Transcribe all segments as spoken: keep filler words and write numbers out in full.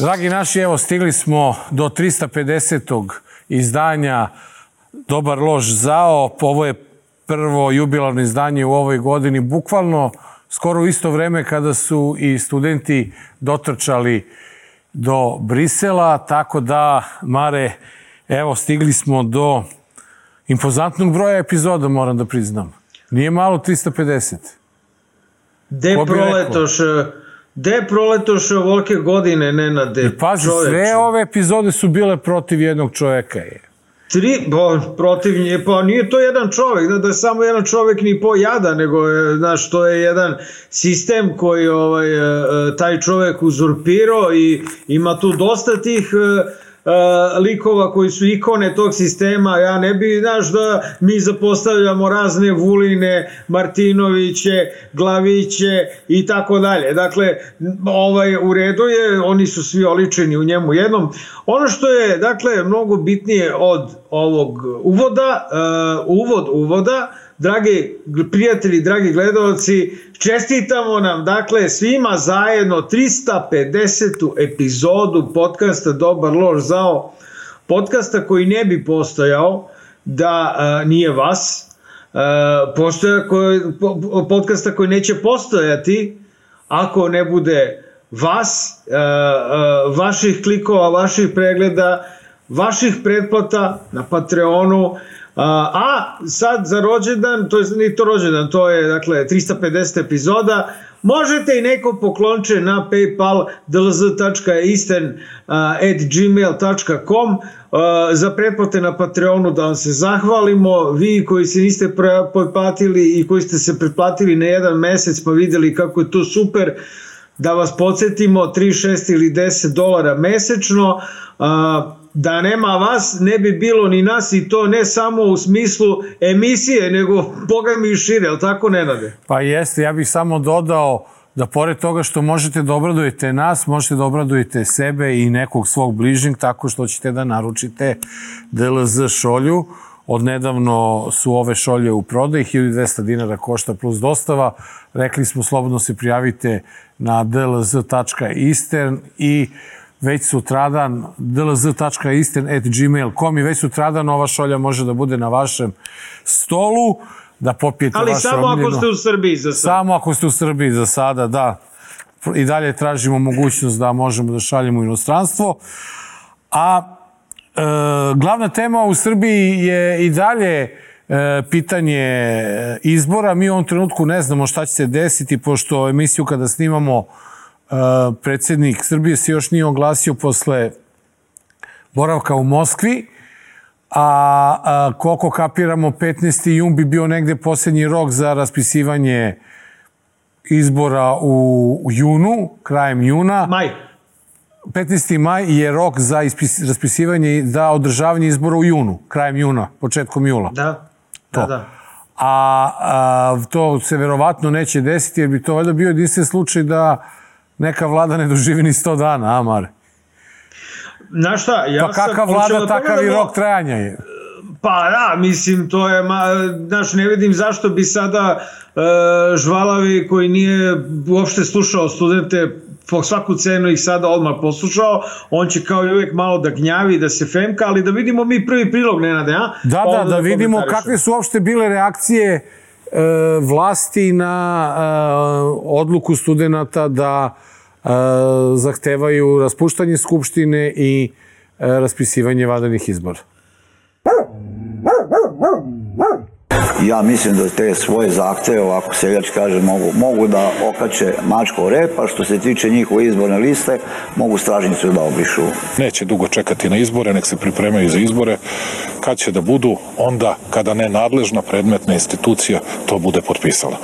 Dragi naši, evo stigli smo do trista pedesetog izdanja Dobar loš zao. Ovo je prvo jubilarno izdanje u ovoj godini, bukvalno skoro u isto vreme kada su i studenti dotrčali do Brisela, tako da, Mare, evo stigli smo do impozantnog broja epizoda, moram da priznam. Nije malo trista pedeset. De proletoš, de proletoš ovolike godine, Nenade. I pazi, sve ove epizode su bile protiv jednog čoveka. Je. Tri, bo, protiv nje, pa nije to jedan čovek, da, da je samo jedan čovek ni po jada, nego je, znaš, to je jedan sistem koji ovaj, taj čovek uzurpirao i ima tu dosta tih Uh, likova koji su ikone tog sistema. Ja ne bi, znaš, da mi zapostavljamo razne Vuline, Martinoviće, Glaviće i tako dalje. Dakle, ovaj, u redu je, oni su svi oličeni u njemu jednom. Ono što je, dakle, mnogo bitnije od ovog uvoda, uh, uvod uvoda, dragi prijatelji, dragi gledalci, čestitamo nam, dakle, svima zajedno trista pedesetu epizodu podcasta Dobar loš zao, podcasta koji ne bi postojao da a, nije vas, a, postoja koji, po, podcasta koji neće postojati ako ne bude vas, a, a, vaših klikova, vaših pregleda, vaših pretplata na Patreonu. A sad za rođendan, to je ni to rođendan, to je dakle trista pedeset epizoda, možete i neko poklonče na PayPal dlz tačka eastern at gmail tačka com za pretplate na Patreonu, da vam se zahvalimo. Vi koji se niste pretplatili i koji ste se pretplatili na jedan mesec pa videli kako je to super, da vas podsjetimo, tri, šest ili deset dolara mesečno. Da nema vas, ne bi bilo ni nas, i to ne samo u smislu emisije, nego boga mi i šire, ali tako, Nenade? Pa jeste, ja bih samo dodao da pored toga što možete da obradujete nas, možete da obradujete sebe i nekog svog bližnjeg tako što ćete da naručite D L Z šolju. Odnedavno su ove šolje u prodaju, hiljadu dvesta dinara košta plus dostava. Rekli smo, slobodno se prijavite na dlz tačka eastern i već sutradan dlz tačka eastern at gmail tačka com i već sutradan ova šolja može da bude na vašem stolu, da popijete ali vašu samo omljenu. Ako ste u Srbiji za sada. Samo ako ste u Srbiji za sada, da. I dalje tražimo mogućnost da možemo da šaljemo u inostranstvo. A e, glavna tema u Srbiji je i dalje e, pitanje izbora. Mi u ovom trenutku ne znamo šta će se desiti, pošto emisiju kada snimamo Uh, predsjednik Srbije se još nije oglasio posle boravka u Moskvi, a, a koliko kapiramo, petnaesti jun bi bio negde posljednji rok za raspisivanje izbora u, u junu, krajem juna. Maj. petnaesti maj je rok za ispis, raspisivanje, za održavanje izbora u junu, krajem juna, početkom jula. Da, to. da, da. A, a to se verovatno neće desiti, jer bi to valjda bio jedinstven slučaj da neka vlada ne doživi ni sto dana, a Mare? Znaš šta, ja pa kakav vlada, da takav i rok trajanja je. Pa da, mislim, to je, znaš, ne vidim zašto bi sada e, Žvalavi, koji nije uopšte slušao studente, po svaku cenu ih sada odmah poslušao, on će kao i uvek malo da gnjavi, da se femka, ali da vidimo mi prvi prilog, Nenade, a? Da, da, da, da vidimo kakve su uopšte bile reakcije e, vlasti na e, odluku studenta da e, zahtevaju raspuštanje Skupštine i e, raspisivanje vanrednih izbora. Ja mislim da te svoje zahteve, ovako seljački kaže, mogu, mogu da okače mačko repa. Što se tiče njihove izborne liste, mogu stražnicu da obrišu. Neće dugo čekati na izbore, nek se pripremaju za izbore. Kad će da budu? Onda kada nenadležna predmetna institucija to bude potpisala.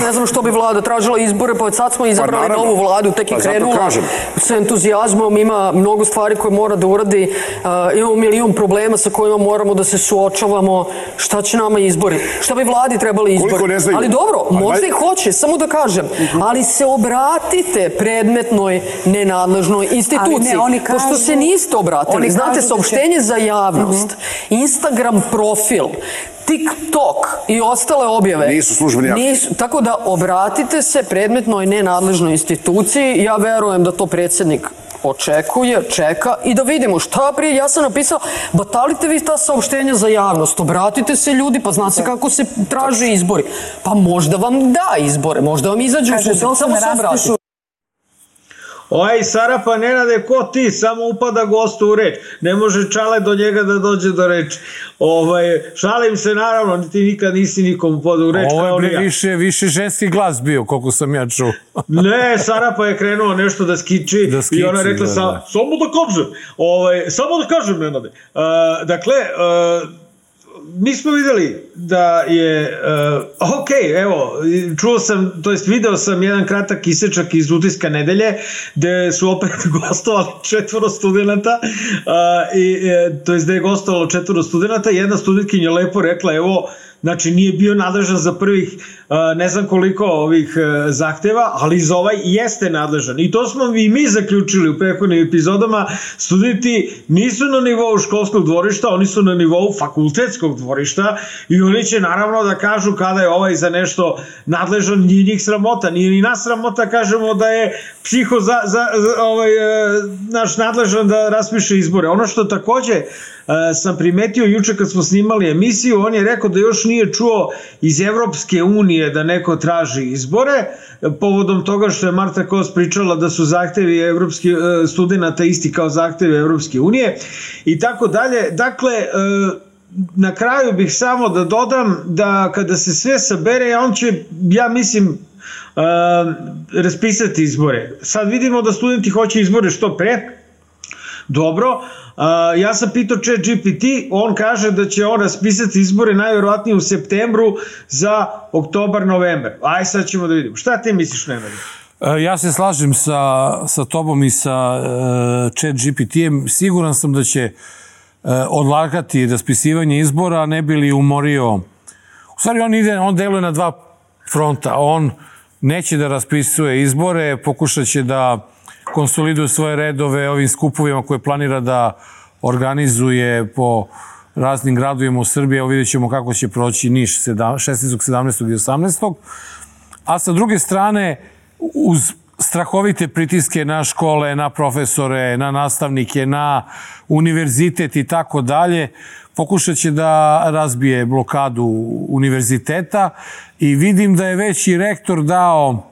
Ne znam što bi vlada tražila izbore, pa sad smo izabrali pa novu vladu, tek je pa krenula s entuzijazmom, ima mnogo stvari koje mora da uradi, uh, imamo milion problema sa kojima moramo da se suočavamo. Šta će nama izbori? Šta bi vladi trebali izbori? Ali dobro, možda i hoće, samo da kažem, ali se obratite predmetnoj nenadležnoj instituciji, pošto se niste obratili. Znate, saopštenje za javnost, Instagram profil, TikTok i ostale objave nisu službeni akt. Nisu, tako da obratite se predmetnoj nenadležnoj instituciji. Ja verujem da to predsjednik očekuje, čeka i da vidimo šta prije. Ja sam napisao, batalite vi ta saopštenja za javnost, obratite se ljudi, pa zna se kako se traže izbori. Pa možda vam da izbore, možda vam izađu u susret, samo se obratite. Oj, Sarapa, Nenade, ko ti? Samo upada gostu u reč. Ne može Čale do njega da dođe do reči. Ovaj, šalim se, naravno, ti nikad nisi nikom upada u reč. Ovo je više, više ženski glas bio, koliko sam ja čuo. Ne, Sarapa je krenuo nešto da skiči, da skiči i ona rekla, da, da. samo da kažem, ovaj, samo da kažem, Nenade. Uh, dakle, uh, mi smo videli da je, uh, ok, evo, čuo sam, to jest video sam jedan kratak isečak iz Utiska nedelje, gde su opet gostovali četvoro studenta, uh, i, to jest da je gostovalo četvoro studenta, jedna studentkinja lepo rekla, evo, znači nije bio nadležan za prvih ne znam koliko ovih zahteva, ali za ovaj jeste nadležan. I to smo i mi zaključili u prethodnim epizodama. Studenti nisu na nivou školskog dvorišta, oni su na nivou fakultetskog dvorišta i oni će naravno da kažu kada je ovaj za nešto nadležan, nije njih sramota, nije ni nas sramota, kažemo da je psiho za, za, za ovaj, naš nadležan da raspiše izbore. Ono što takođe sam primetio juče kad smo snimali emisiju, on je rekao da još nije čuo iz Evropske unije da neko traži izbore, povodom toga što je Marta Kos pričala da su zahtevi evropskih studenta isti kao zahtevi Evropske unije i tako dalje. Dakle, na kraju bih samo da dodam da kada se sve sabere, on će, ja mislim, raspisati izbore. Sad vidimo da studenti hoće izbore što pre. Dobro, uh, ja sam pitao Chat G P T, on kaže da će on raspisati izbore najverovatnije u septembru za oktobar, novembar. Aj sad ćemo da vidimo. Šta ti misliš, Nenad? Ja se slažem sa, sa tobom i sa uh, Chat G P T-em. Siguran sam da će uh, odlagati raspisivanje izbora, ne bi li umorio. U stvari on ide, on deluje na dva fronta. On neće da raspisuje izbore, pokušat će da konsoliduje svoje redove ovim skupovima koje planira da organizuje po raznim gradovima u Srbiji. Evo vidjet ćemo kako će proći Niš šesnaestog, sedamnaestog i osamnaestog A sa druge strane, uz strahovite pritiske na škole, na profesore, na nastavnike, na univerzitet i tako dalje, pokušat će da razbije blokadu univerziteta i vidim da je već i rektor dao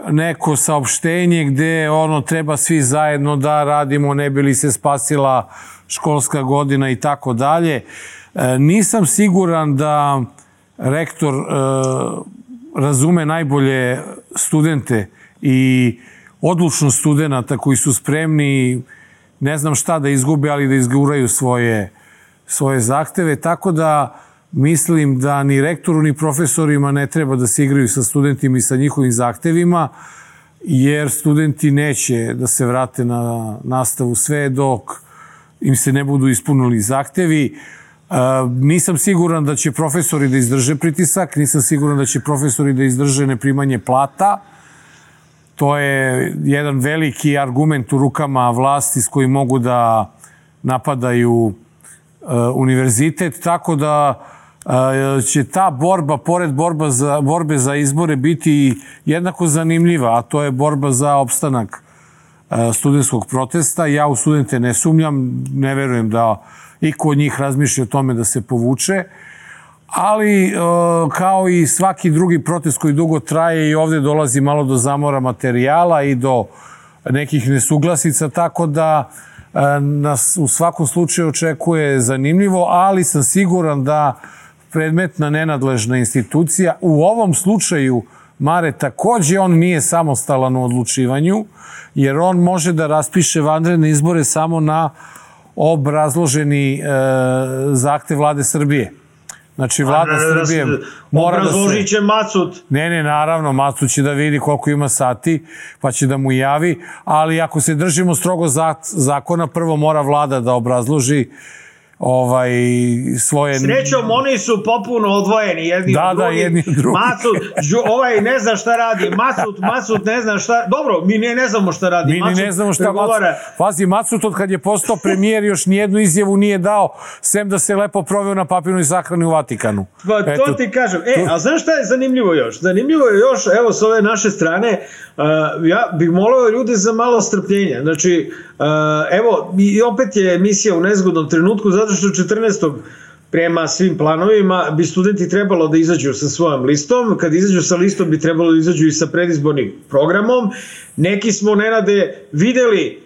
neko saopštenje gde ono treba svi zajedno da radimo, ne bi li se spasila školska godina i tako dalje. Nisam siguran da rektor e, razume najbolje studente i odlučnost studenta koji su spremni, ne znam šta da izgube, ali da izguraju svoje, svoje zahteve, tako da mislim da ni rektoru ni profesorima ne treba da se igraju sa studentima i sa njihovim zahtevima, jer studenti neće da se vrate na nastavu sve dok im se ne budu ispunili zahtevi. Nisam siguran da će profesori da izdrže pritisak, nisam siguran da će profesori da izdrže neprimanje plata. To je jedan veliki argument u rukama vlasti s kojim mogu da napadaju univerzitet, tako da će ta borba, pored borba za, borbe za izbore, biti jednako zanimljiva, a to je borba za opstanak studentskog protesta. Ja u studente ne sumnjam, ne verujem da iko od njih razmišlja o tome da se povuče, ali kao i svaki drugi protest koji dugo traje, i ovde dolazi malo do zamora materijala i do nekih nesuglasica, tako da nas u svakom slučaju očekuje zanimljivo, ali sam siguran da predmetna nenadležna institucija, u ovom slučaju Mare takođe, on nije samostalan u odlučivanju, jer on može da raspiše vanredne izbore samo na obrazloženi e, zahtev Vlade Srbije. Znači, Vlada Srbije mora da se... Obrazložit će Macut. Ne, ne, naravno, Macut će da vidi koliko ima sati, pa će da mu javi, ali ako se držimo strogo zakona, prvo mora Vlada da obrazloži ovaj, svoje... Srećom, oni su popuno odvojeni jedni da, od drugih. Da, jedni od drugih. Macut, ovaj ne zna šta radi, Macut, Macut ne zna šta... Dobro, mi ne, ne znamo šta radi. Mi Macut ne znamo šta pregovara... Macut... Pazi, Macut od kad je postao premijer još nijednu izjavu nije dao, sem da se lepo proveo na papirnoj sahrani u Vatikanu. Pa, to Eto, ti kažem. E, to... a znaš šta je zanimljivo još? Zanimljivo je još, evo, s ove naše strane, ja bih molio ljude za malo strpljenja. Znači, evo, i opet je emisija u nezgodnom trenutku, zato što četrnaestog prema svim planovima bi studenti trebalo da izađu sa svojom listom. Kad izađu sa listom bi trebalo da izađu i sa predizbornim programom. Neki smo, Nenade, videli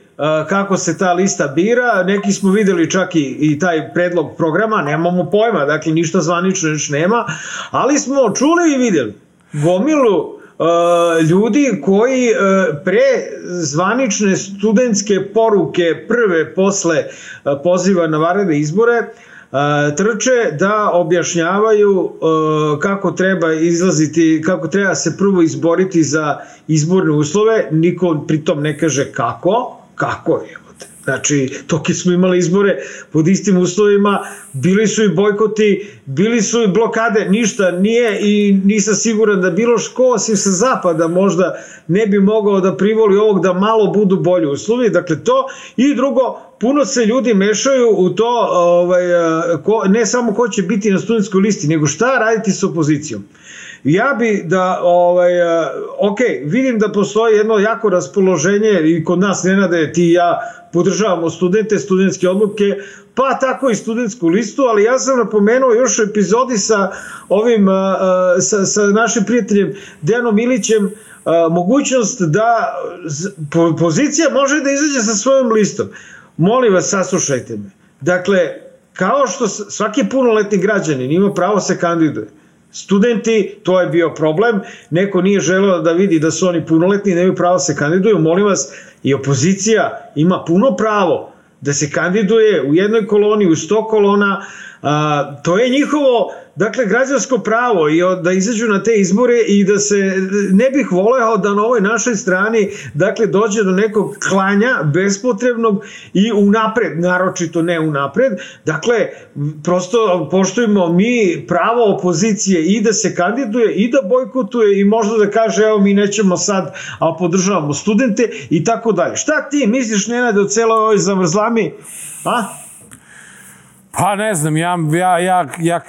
kako se ta lista bira, neki smo videli čak i, i taj predlog programa, nemamo pojma, dakle ništa zvanično još nema, ali smo čuli i videli gomilu uh, ljudi koji uh, pre zvanične studentske poruke prve posle uh, poziva na vanredne izbore uh, trče da objašnjavaju uh, kako treba izlaziti, kako treba se prvo izboriti za izborne uslove, niko pritom ne kaže kako, kako je. Znači, toki smo imali izbore pod istim uslovima, bili su i bojkoti, bili su i blokade, ništa nije i nisam siguran da bilo ško osim sa zapada možda ne bi mogao da privoli ovog da malo budu bolji uslovi. Dakle, to i drugo, puno se ljudi mešaju u to, ovaj, ko, ne samo ko će biti na studentskoj listi, nego šta raditi s opozicijom. Ja bi da, ovaj, ok, vidim da postoji jedno jako raspoloženje i kod nas, Nenade, ti i ja podržavamo studente, studentske odluke, pa tako i studentsku listu, ali ja sam napomenuo još u epizodi sa ovim, sa, sa našim prijateljem Dejanom Ilićem, mogućnost da pozicija može da izađe sa svojom listom. Molim vas, saslušajte me. Dakle, kao što svaki punoletni građanin ima pravo se kandiduje, studenti, to je bio problem, neko nije želeo da vidi da su oni punoletni i nemaju pravo se kandiduju, molim vas, i opozicija ima puno pravo da se kandiduje u jednoj koloni, u sto kolona, a, to je njihovo, dakle, građansko pravo i da izađu na te izbore i da se, ne bih voleo da na ovoj našoj strani, dakle, dođe do nekog klanja bespotrebnog i unapred, naročito ne unapred, dakle, prosto poštujemo mi pravo opozicije i da se kandiduje i da bojkotuje i možda da kaže, evo, mi nećemo sad, a podržavamo studente i tako dalje. Šta ti misliš, Nenade, o celoj ovoj zavrzlami? A? Pa ne znam, ja, ja, ja, ja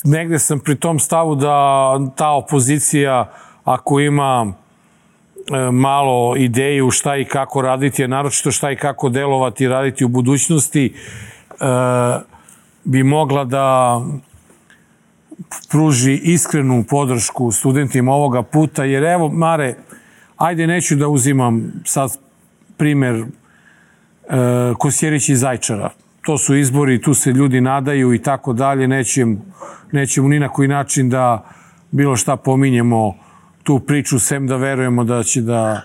negde sam pri tom stavu da ta opozicija, ako ima e, malo ideju šta i kako raditi, a naročito šta i kako delovati i raditi u budućnosti, e, bi mogla da pruži iskrenu podršku studentima ovoga puta, jer evo, Mare, ajde, neću da uzimam sad primer e, Kosjerić i Zajčara. To su izbori, tu se ljudi nadaju i tako dalje, nećemo, nećemo ni na koji način da bilo šta pominjemo tu priču, sem da verujemo da će da...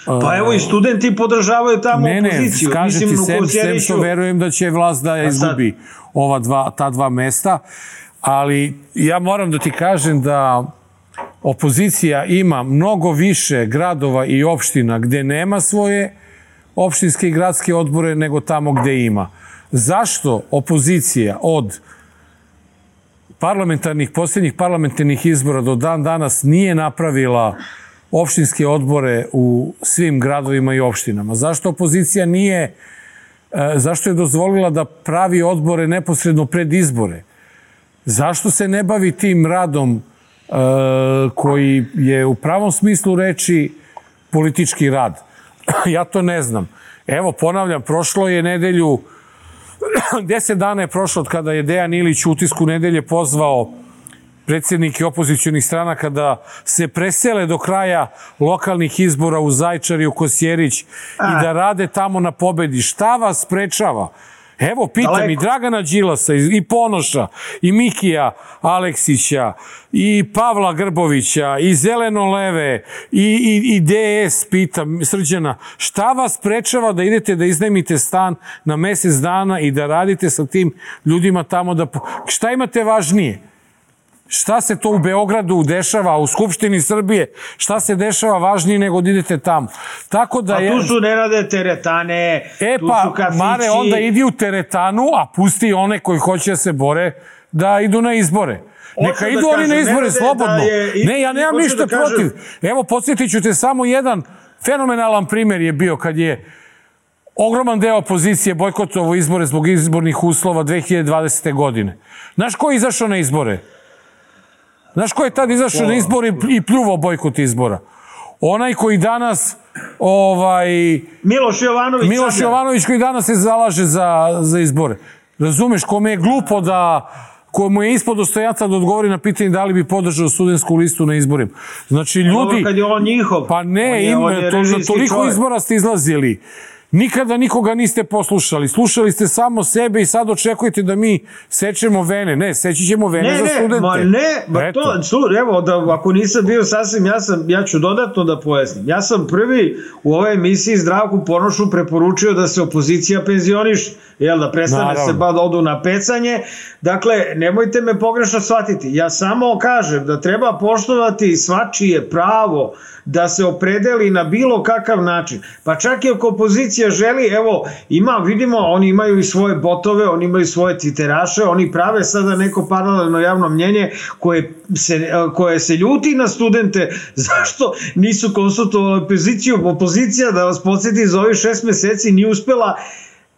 Pa evo i studenti podržavaju tamo ne, opoziciju. Ne, ne, kažem ti, sem, sem što verujem da će vlast da izgubi ova dva, ta dva mesta, ali ja moram da ti kažem da opozicija ima mnogo više gradova i opština gde nema svoje opštinske i gradske odbore nego tamo gde ima. Zašto opozicija od parlamentarnih, posljednjih parlamentarnih izbora do dan danas nije napravila opštinske odbore u svim gradovima i opštinama? Zašto opozicija nije, zašto je dozvolila da pravi odbore neposredno pred izbore? Zašto se ne bavi tim radom koji je u pravom smislu reči politički rad? Ja to ne znam. Evo, ponavljam, prošlo je nedelju, deset dana je prošlo od kada je Dejan Ilić u Utisku nedelje pozvao predsjednike opozicionih stranaka da se presele do kraja lokalnih izbora u Zajčar i u Kosjerić i da rade tamo na pobedi. Šta vas sprečava? Evo, pitam i Dragana Đilasa, i Ponoša, i Mikija Aleksića, i Pavla Grbovića, i Zeleno-leve, i, i, i D S, pitam Srđana, šta vas sprečava da idete da iznajmite stan na mesec dana i da radite sa tim ljudima tamo da... Šta imate važnije? Šta se to u Beogradu dešava, u Skupštini Srbije, šta se dešava važnije nego da idete tamo. Tako da je... A tu su, Nenade, teretane, e, tu pa, su kafići. Mare, onda idi u teretanu, a pusti one koji hoće da se bore da idu na izbore. Neka idu oni na izbore slobodno. Ne, ja nemam ništa protiv. Evo, podsjetit ću te, samo jedan fenomenalan primjer je bio kad je ogroman deo opozicije bojkotovao izbore zbog izbornih uslova dve hiljade dvadesete. godine. Znaš ko je izašao na izbore? Znaš ko je tad izašao na izbore i pljuvao bojkot izbora? Onaj koji danas ovaj Miloš Jovanović Miloš Jovanović koji danas se zalaže za, za izbore. Razumeš, kome je glupo da komu je ispod dostojanstva da odgovori na pitanje da li bi podržao studentsku listu na izborima. Znači, ljudi... Kad je on njihov. Pa ne, im, to, toliko čovjek. Izbora ste izlazili. Nikada nikoga niste poslušali. Slušali ste samo sebe i sad očekujete da mi sečemo vene. Ne, seći ćemo vene ne, za studente. Ne, ma ne, ma to, su, evo, da, ako nisam bio sasvim, ja, sam, ja ću dodatno da pojasnim. Ja sam prvi u ovoj emisiji Zdravku Ponošu preporučio da se opozicija penzioniše. Jel, da prestane Naravno. se ba da odu na pecanje. Dakle, nemojte me pogrešno shvatiti. Ja samo kažem da treba poštovati svačije pravo da se opredeli na bilo kakav način. Pa čak i ako opozicija želi, evo, ima, vidimo, oni imaju i svoje botove, oni imaju svoje twitteraše, oni prave sada neko paralelno javno mnjenje koje se, koje se ljuti na studente. Zašto nisu konsultovali opoziciju? Opozicija, da vas podsjeti, za ovih šest meseci nije uspela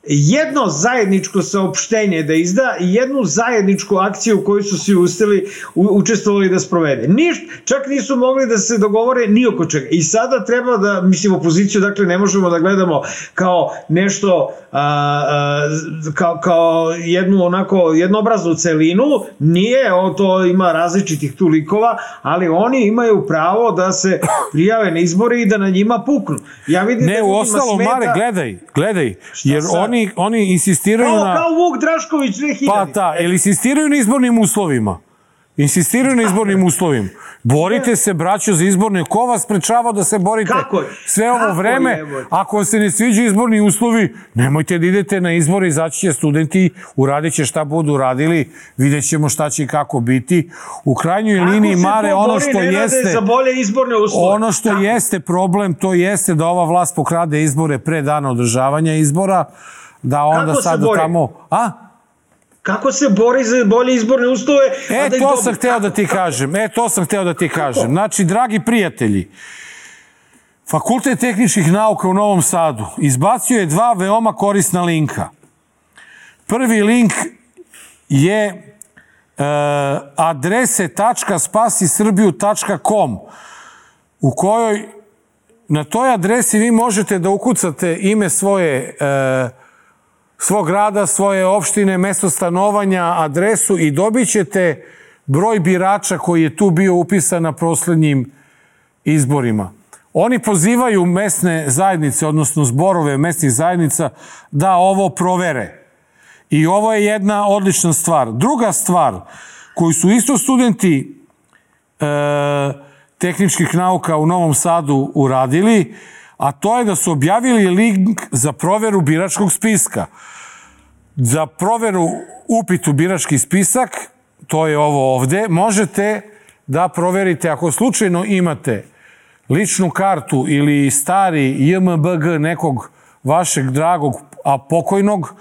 jedno zajedničko saopštenje da izda i jednu zajedničku akciju koju su svi ustali, u, učestvovali da sprovede. Ništa, čak nisu mogli da se dogovore ni oko čega. I sada treba da, mislim, opoziciju, dakle, ne možemo da gledamo kao nešto, a, a, kao, kao jednu onako jednobraznu celinu, nije, o, to ima različitih tu likova, ali oni imaju pravo da se prijave na izbore i da na njima puknu. Ja vidim ne, da u ostalo, smeta... Mare, gledaj, gledaj, jer oni Oni, oni insistiraju kao, na... Kao Vuk Drašković dve hiljade. Pa da, ili insistiraju na izbornim uslovima. Insistiraju na izbornim uslovima. Borite se, braćo, za izborne. Ko vas sprečava da se borite Kako sve ovo Kako vreme? Je, ako vam se ne sviđu izborni uslovi, nemojte da idete na izbore, izaći će studenti, uradit će šta budu radili, vidjet ćemo šta će i kako biti. U krajnjoj kako liniji, Mare, ono što jeste... Za bolje izborne uslove? Ono što kako? jeste problem, to jeste da ova vlast pokrade izbore pre dana održavanja izbora, da onda kako sada tamo... A? Kako se bori za bolje izborne uslove? E, da to sam hteo da ti kažem. E, to sam hteo da ti kažem. Znači, dragi prijatelji, Fakultet tehničkih nauka u Novom Sadu izbacio je dva veoma korisna linka. Prvi link je e, adrese tačka spasi srbiju tačka com u kojoj na toj adresi vi možete da ukucate ime svoje e, svog grada, svoje opštine, mesto stanovanja, adresu i dobit ćete broj birača koji je tu bio upisan na poslednjim izborima. Oni pozivaju mesne zajednice, odnosno zborove mesnih zajednica, da ovo provere. I ovo je jedna odlična stvar. Druga stvar, koju su isto studenti e, tehničkih nauka u Novom Sadu uradili, a to je da su objavili link za proveru biračkog spiska. Za proveru upit u birački spisak, to je ovo ovde, možete da proverite ako slučajno imate ličnu kartu ili stari J M B G nekog vašeg dragog, a pokojnog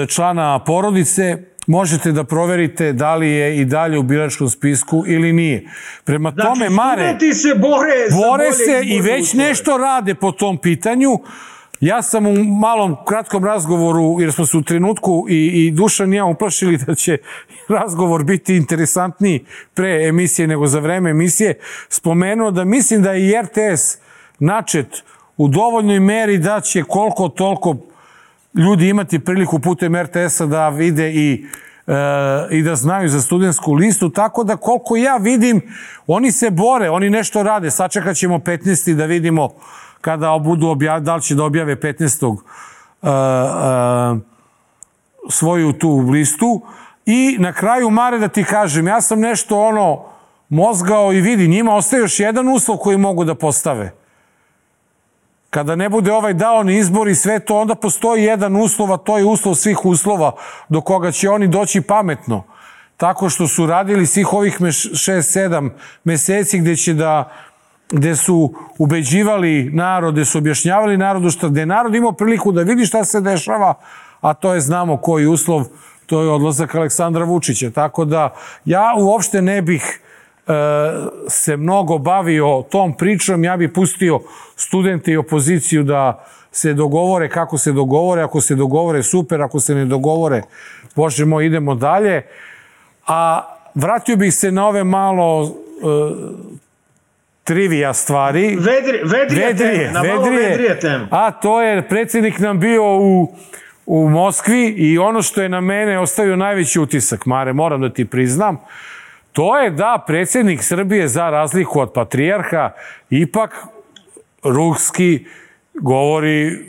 člana porodice, možete da proverite da li je i dalje u biračkom spisku ili nije. Prema znači, tome, Mare, studenti se bore, bore se i već nešto rade po tom pitanju. Ja sam u malom kratkom razgovoru, jer smo se u trenutku i, i Dušan i ja uplašili da će razgovor biti interesantniji pre emisije nego za vreme emisije, spomenuo da mislim da je i R T S načet u dovoljnoj meri da će koliko toliko ljudi imati priliku putem R T S-a da vide i, e, i da znaju za studentsku listu, tako da koliko ja vidim, oni se bore, oni nešto rade. Sačekat ćemo petnaesti da vidimo kada budu objavili, da li će da objave petnaestog Uh, uh, svoju tu listu. I na kraju, Mare, da ti kažem, ja sam nešto ono mozgao i vidi, njima ostaje još jedan uslov koji mogu da postave. Kada ne bude ovaj dao ni izbor i sve to, onda postoji jedan uslov, a to je uslov svih uslova do koga će oni doći pametno. Tako što su radili svih ovih šest sedam meseci gde će da gde su ubeđivali narod, gde su objašnjavali narodu šta, gde narod imao priliku da vidi šta se dešava, a to je, znamo koji uslov, to je odlazak Aleksandra Vučića. Tako da ja uopšte ne bih e, se mnogo bavio tom pričom, ja bih pustio studente i opoziciju da se dogovore kako se dogovore, ako se dogovore super, ako se ne dogovore, Bože moj, idemo dalje. A vratio bih se na ove malo e, trivija stvari. Vedri, vedrije, vedrije teme, na malo vedrije, vedrije teme. A to je, predsjednik nam bio u, u Moskvi i ono što je na mene ostavio najveći utisak, Mare, moram da ti priznam, to je da predsjednik Srbije, za razliku od patrijarha, ipak ruski govori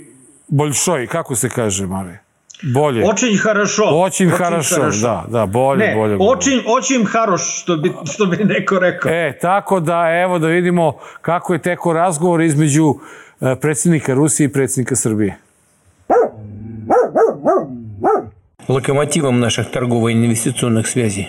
boljšoj, kako se kaže, Mare? Bolje. Očin harašo. Očin harašo, da, da, bolje, ne, bolje. bolje. Očin, očin haroš, što bi, što bi neko rekao. E, tako da, evo da vidimo kako je teko razgovor između predsjednika Rusije i predsjednika Srbije. Локомотивом наших торгово-инвестиционных связей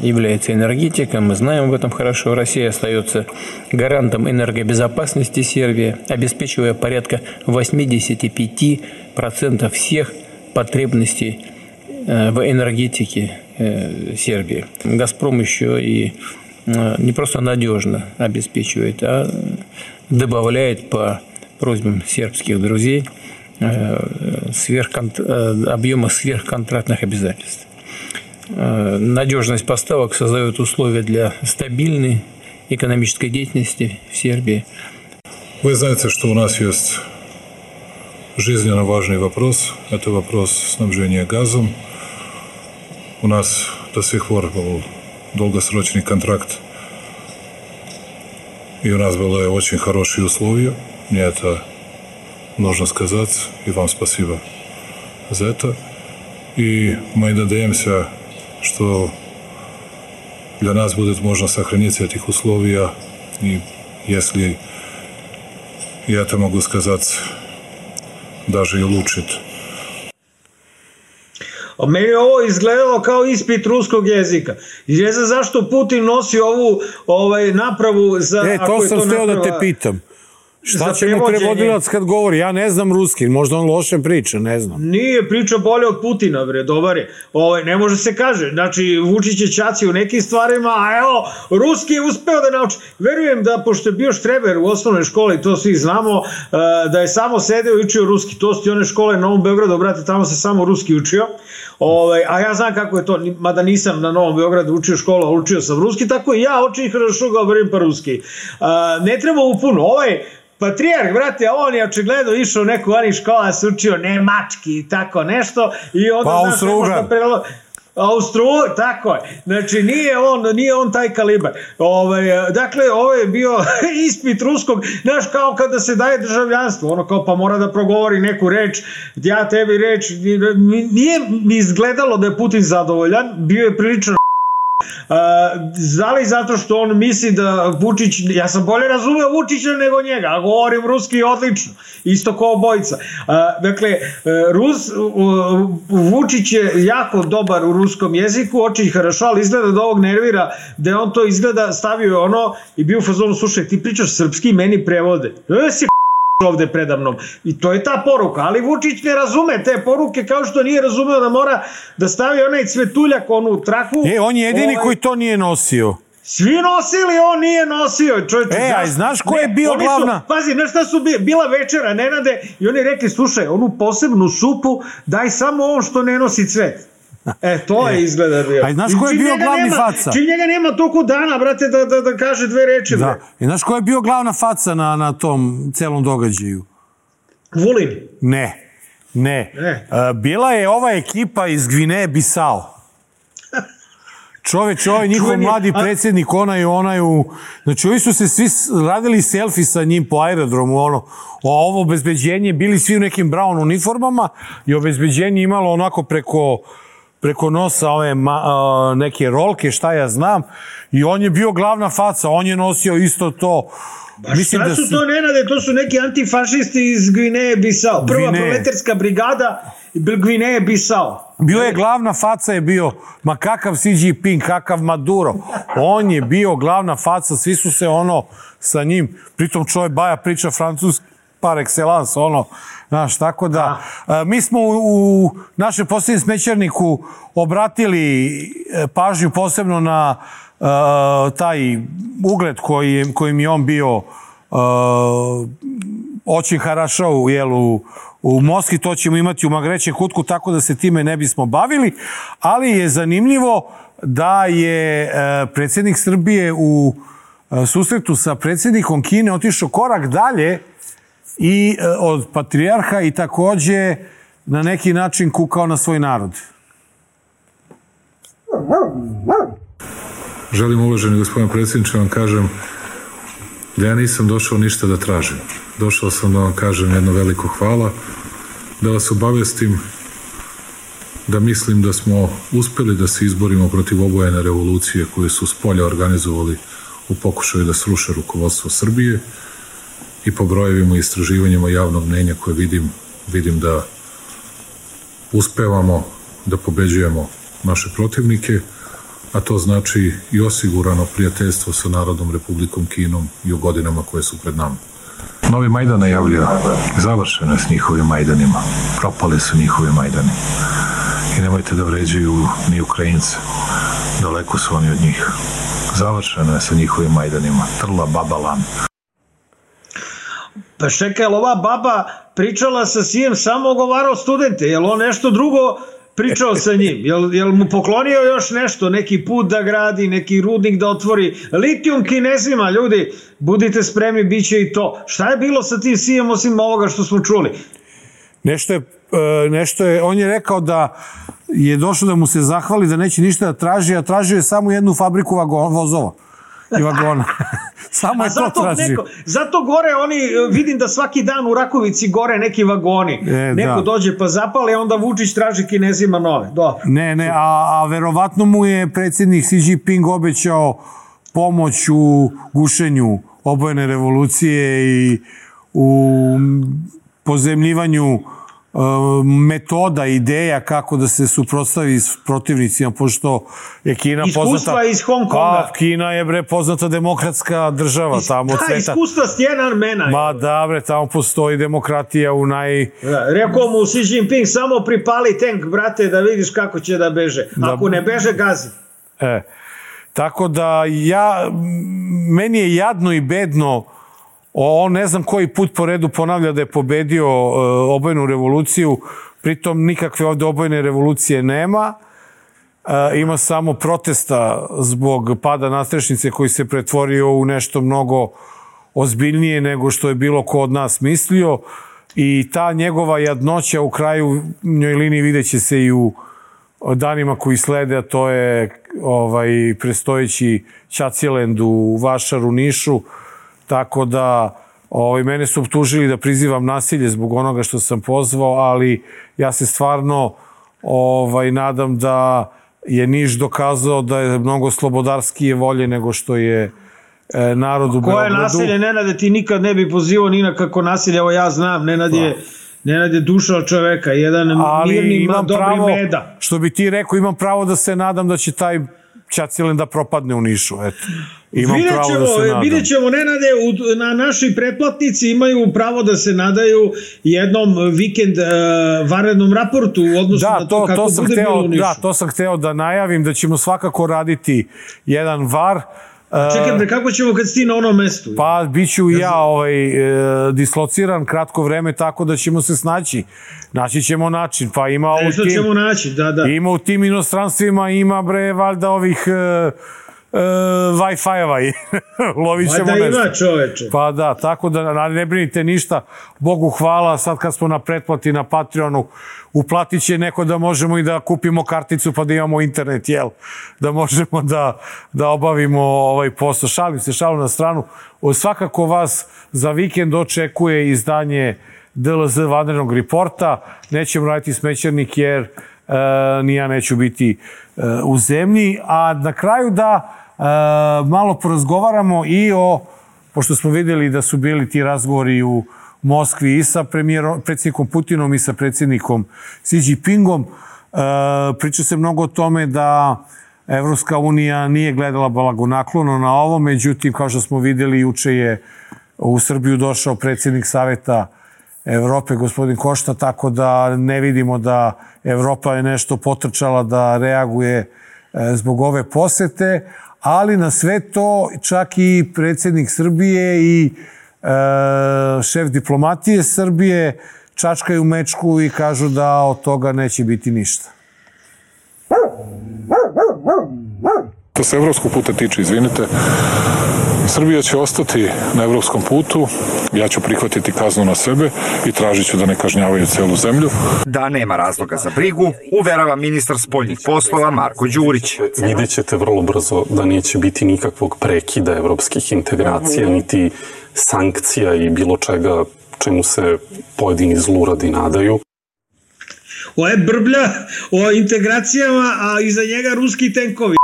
является энергетика. Мы знаем об этом хорошо. Россия остается гарантом энергобезопасности Сербии, обеспечивая порядка восемьдесят пять процентов всех потребностей в энергетике Сербии. «Газпром» еще и не просто надежно обеспечивает, а добавляет по просьбам сербских друзей сверхконт... объема сверхконтрактных обязательств. Надежность поставок создает условия для стабильной экономической деятельности в Сербии. Вы знаете, что у нас есть жизненно важный вопрос. Это вопрос снабжения газом. У нас до сих пор был долгосрочный контракт, и у нас были очень хорошие условия. Мне это нужно сказать, и вам спасибо за это. И мы надеемся, что для нас будет можно сохранить этих условий, и если я это могу сказать, даже и улучшить. Meni je ovo izgledalo kao ispit ruskog jezika. I ne znam zašto Putin nosi ovu ovaj, napravu za... E, to sam htio da te pitam. Šta će mu prevodilac kad govori? Ja ne znam ruski, možda on loše priča, ne znam. Nije priča bolje od Putina, bre, dobar je. Ovaj, ne može se kaže. Znači, Vučić je ćaci u nekim stvarima, a evo, ruski je uspeo da nauči. Verujem da, pošto je bio štreber u osnovnoj školi, to svi znamo, da je samo sedeo i učio ruski. To su ti one škole na Novom Beogradu, brate, tamo se samo ruski učio. Ovaj, a ja znam kako je to, mada nisam na Novom Beogradu učio školu, a učio sam ruski, tako i ja očin hrašo govorim pa ruski. Ne treba u puno. Ovaj patrijarh, brate, on je očigledno išao u neku onih škola, se učio nemački i tako nešto. I onda, pa Austro-Ugar. Austro, tako je. Znači, nije on, nije on taj kalibar. Ove, dakle, ovo je bio ispit ruskog, znaš, kao kada se daje državljanstvo, ono kao pa mora da progovori neku reč, ja tebi reč, nije mi izgledalo da je Putin zadovoljan, bio je prilično Uh, zali zato što on misli da Vučić, ja sam bolje razumeo Vučića nego njega, a govorim ruski odlično, isto kao obojica. Uh, dakle, Rus, uh, Vučić je jako dobar u ruskom jeziku, oči harašo, ali izgleda da ovog nervira, da on to izgleda, stavio ono i bio u fazonu, slušaj, ti pričaš srpski, meni prevode. E, si ovde predamnom. I to je ta poruka. Ali Vučić ne razume te poruke, kao što nije razumeo da mora da stavi onaj cvetuljak, onu traku. E, on je jedini ovaj, koji to nije nosio. Svi nosili, on nije nosio. Čovječe, e, a znaš ko je bio ne, glavna? Su, pazi, znaš šta su bila večera, Nenade, i oni rekli, slušaj, onu posebnu supu daj samo on što ne nosi cvet. E, to je izgleda bio. A znaš ko je bio glavni nema, faca? Čim njega nema toliko dana, brate, da, da, da kaže dve reči. Da. I znaš ko je bio glavna faca na, na tom celom događaju? Vulin? Ne, ne. ne. Uh, bila je ova ekipa iz Gvineje Bisao. Čoveč, ovaj njihov mladi predsjednik, onaj, onaj u... Znači, ovi su se svi radili selfie sa njim po aerodromu, ono, o ovo obezbeđenje, bili svi u nekim brown uniformama i obezbeđenje imalo onako preko... preko nosa ove ma, uh, neke rolke, šta ja znam, i on je bio glavna faca, on je nosio isto to. Baš Mislim šta da su to, Nenade, to su neki antifašisti iz Gvineje Bisao. Prva Gvineje. Proletarska brigada Gvineje Bisao. Bio je glavna faca, je bio, ma kakav Xi Jinping, kakav Maduro. On je bio glavna faca, svi su se ono sa njim, pritom čovjek Baja priča francuski, par excellence, ono, znaš, tako da, a, mi smo u, u našem posljednjem smećarniku obratili pažnju posebno na a, taj ugled koji, kojim je on bio očin harašo, jel, u, u Moskvi, to ćemo imati u Magrećem kutku, tako da se time ne bismo bavili, ali je zanimljivo da je a, predsjednik Srbije u susretu sa predsjednikom Kine otišao korak dalje i od patrijarha i takođe na neki način kukao na svoj narod. Želim, uvaženi gospodin predsjedniče, vam kažem da ja nisam došao ništa da tražim. Došao sam da vam kažem jedno veliko hvala, da vas obavestim da mislim da smo uspeli da se izborimo protiv obojene revolucije koje su s polja organizovali u pokušaju da sruše rukovodstvo Srbije i po brojevima i istraživanjima javnog mnenja koje vidim, vidim da uspevamo da pobeđujemo naše protivnike, a to znači i osigurano prijateljstvo sa Narodnom Republikom Kinom i u godinama koje su pred nama. Novi Majdan najavljaju, završeno je s njihovim Majdanima, propali su njihovi Majdani. I nemojte da vređaju ni Ukrajince, daleko su oni od njih. Završeno je sa njihovim Majdanima, trla baba lan. Pa čekaj, ova baba pričala sa sijem, samo ogovarao studente, je li on nešto drugo pričao sa njim? Jel, jel mu poklonio još nešto, neki put da gradi, neki rudnik da otvori? Litijum Kinezima, ljudi, budite spremni, bit će i to. Šta je bilo sa tim sijem osim ovoga što smo čuli? Nešto je, nešto je, on je rekao da je došao da mu se zahvali, da neće ništa da traži, a tražio je samo jednu fabriku vozova i vagona. Samo je to tražio. Neko, zato gore oni, vidim da svaki dan u Rakovici gore neki vagoni. E, neko da. Dođe pa zapali, onda Vučić traži Kinezima nove. Dobro. Ne, ne, a, a verovatno mu je predsjednik Xi Jinping obećao pomoć u gušenju obojene revolucije i u pozemljivanju metoda, ideja kako da se suprotstavi s protivnicima, pošto je Kina poznata... Iskustva iz Hong Konga. Pa, Kina je, bre, poznata demokratska država. Is, tamo da, iskustva s Tiananmena. Ma da, bre, tamo postoji demokratija u naj... Da, rekao mu Xi Jinping, samo pripali tank, brate, da vidiš kako će da beže. Ako da, ne beže, gazi. E, tako da ja, meni je jadno i bedno. On ne znam koji put po redu ponavlja da je pobedio uh, obojenu revoluciju, pritom nikakve ovde obojene revolucije nema. Uh, ima samo protesta zbog pada nadstrešnice koji se pretvorio u nešto mnogo ozbiljnije nego što je bilo ko od nas mislio. I ta njegova jadnoća u kraju njoj liniji vidjet će se i u danima koji slede, a to je ovaj, prestojeći Ćaciland u Vašaru, Nišu. Tako da ovaj, mene su optužili da prizivam nasilje zbog onoga što sam pozvao, ali ja se stvarno ovaj, nadam da je Niš dokazao da je mnogo slobodarskije volje nego što je e, narod u Beogradu. Koje nasilje, Nenade, ti nikad ne bi pozivao ni na kako nasilje, evo ja znam, Nenad je, Nenad je duša od čoveka, jedan ali mirni, dobri pravo, meda. Što bi ti rekao, imam pravo da se nadam da će taj Ćaciland da propadne u Nišu, eto. Imam vidjet pravo ćemo, da se nadam. Vidjet ćemo, Nenade, u, na naši pretplatnici imaju pravo da se nadaju jednom vikend uh, vanrednom raportu u odnosu da, na to, to kako to bude hteo, bilo u Nišu. Da, to sam hteo da najavim, da ćemo svakako raditi jedan var. Čekaj, bre, kako ćemo kad si ti na onom mestu? Pa, bit ću ja ovaj, e, dislociran kratko vreme, tako da ćemo se snaći. Naći ćemo način. Pa ima Nešto u tim, ćemo naći, da, da. Ima u tim inostranstvima, ima, bre, valjda ovih... E, Uh, Wi-Fi-eva i lovit ćemo nešto. nešto. Ima, čoveče. Pa da, tako da ne brinite ništa. Bogu hvala, sad kad smo na pretplati na Patreonu, uplatit će neko da možemo i da kupimo karticu pa da imamo internet, jel? Da možemo da, da obavimo ovaj posao. Šalim se, šalim na stranu. Svakako vas za vikend očekuje izdanje D L Z vanrednog reporta. Nećemo raditi smećernik jer uh, ni ja neću biti uh, u zemlji. A na kraju da Uh, malo porazgovaramo i o, pošto smo vidjeli da su bili ti razgovori u Moskvi i sa predsjednikom Putinom i sa predsjednikom Xi Jinpingom, uh, priča se mnogo o tome da Evropska unija nije gledala blagonaklono na ovo, međutim, kao što smo vidjeli, juče je u Srbiju došao predsjednik Saveta Evrope, gospodin Košta, tako da ne vidimo da Evropa je nešto potrčala da reaguje uh, zbog ove posete, ali na sve to čak i predsjednik Srbije i e, šef diplomatije Srbije čačkaju mečku i kažu da od toga neće biti ništa. To se evropskog puta tiče, izvinite, Srbija će ostati na evropskom putu, ja ću prihvatiti kaznu na sebe i tražit ću da ne kažnjavaju celu zemlju. Da nema razloga za brigu, uverava ministar spoljnih poslova Marko Đurić. Vidjet ćete vrlo brzo da neće biti nikakvog prekida evropskih integracija, niti sankcija i bilo čega čemu se pojedini zluradi nadaju. Ovo je brblja o integracijama, a iza njega ruski tenkovi.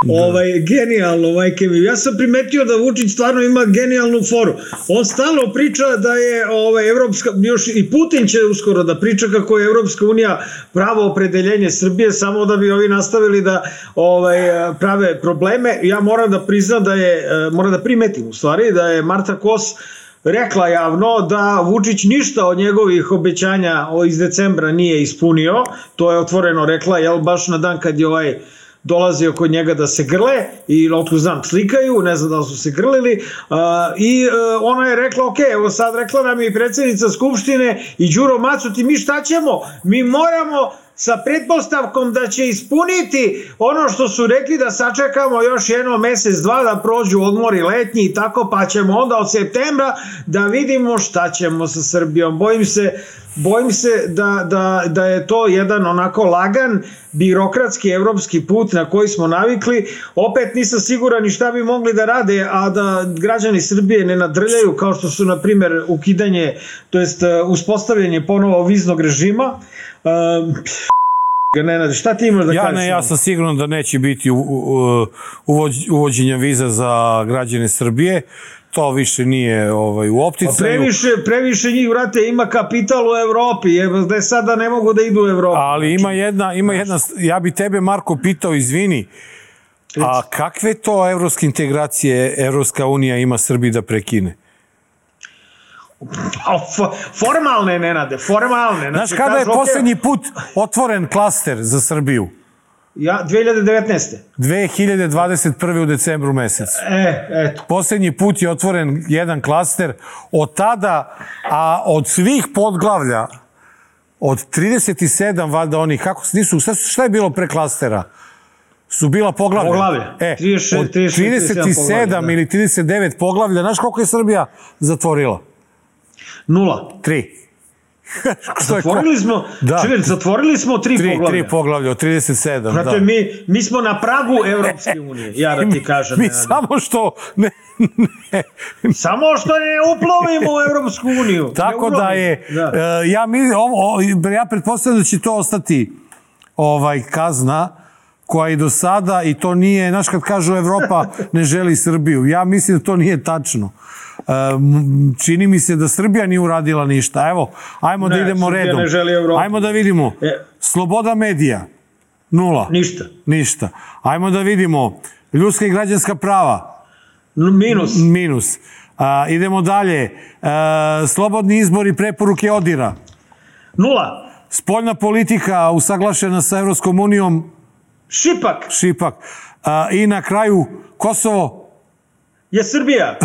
Ovaj, genijalno, majke mi. Ja sam primetio da Vučić stvarno ima genijalnu foru. On stalno priča da je ovaj, Evropska, još i Putin će uskoro da priča kako je Evropska unija pravo opredeljenje Srbije, samo da bi ovi nastavili da ovaj, prave probleme. Ja moram da priznam da je, moram da primetim u stvari, da je Marta Kos rekla javno da Vučić ništa od njegovih obećanja iz decembra nije ispunio. To je otvoreno rekla, jel, baš na dan kad je ovaj dolazio kod njega da se grle i otko znam slikaju, ne znam da li su se grlili uh, i uh, ona je rekla ok, evo sad rekla nam i predsjednica Skupštine i Đuro Macuti, mi šta ćemo? Mi moramo sa pretpostavkom da će ispuniti ono što su rekli, da sačekamo još jedno mesec, dva da prođu odmori letnji i tako, pa ćemo onda od septembra da vidimo šta ćemo sa Srbijom. Bojim se, bojim se da, da, da je to jedan onako lagan birokratski evropski put na koji smo navikli. Opet nisam siguran ni šta bi mogli da rade, a da građani Srbije ne nadrljaju, kao što su na primjer ukidanje, to jest uspostavljanje ponovo viznog režima. Uh, Nenade, šta ti imaš da ja kažeš? Ne, ja sam siguran da neće biti u, u, uvođ, uvođenja viza za građane Srbije. To više nije ovaj, u opticaju. Previše, previše njih, vrate, ima kapital u Evropi, je, da je sada ne mogu da idu u Evropu. Ali ima jedna, ima jedna, ja bi tebe, Marko, pitao, izvini, a kakve to evropske integracije Evropska unija ima Srbiji da prekine? Formalne, Nenade, formalne. Znaš kada je posljednji put otvoren klaster za Srbiju? Ja, dve hiljade devetnaeste. dve hiljade dvadeset prve u decembru mesecu. E, eto. Posljednji put je otvoren jedan klaster od tada, a od svih podglavlja, od trideset sedam, valjda onih, kako nisu, šta je bilo pre klastera? Su bila poglavlja. Poglavlja. E, trideset, od trideset sedam da. ili trideset devet poglavlja, znaš koliko je Srbija zatvorila? Nula. Tri. Zatvorili smo, da. Čekaj, zatvorili smo tri, tri poglavlja. Tri poglavlja od trideset sedam, Prate, da. Mi, mi smo na pragu Evropske unije, ja da ti kažem. Mi ne, samo što ne, ne. Samo što ne uplovimo u Evropsku uniju. Tako da je, da. Uh, ja, mi, o, ja pretpostavljam da će to ostati ovaj, kazna koja i do sada, i to nije, znaš kad kažu Evropa ne želi Srbiju, ja mislim da to nije tačno. Čini mi se da Srbija nije uradila ništa. Evo, ajmo ne, da idemo redom. Ajmo da vidimo. E. Sloboda medija. Nula. Ništa. Ništa. Ajmo da vidimo. Ljudska i građanska prava. Minus. Minus. A, idemo dalje. A, slobodni izbor i preporuke ODIR-a. Nula. Spoljna politika usaglašena sa Evropskom unijom. Šipak. Šipak. A, I na kraju Kosovo. Je Srbija.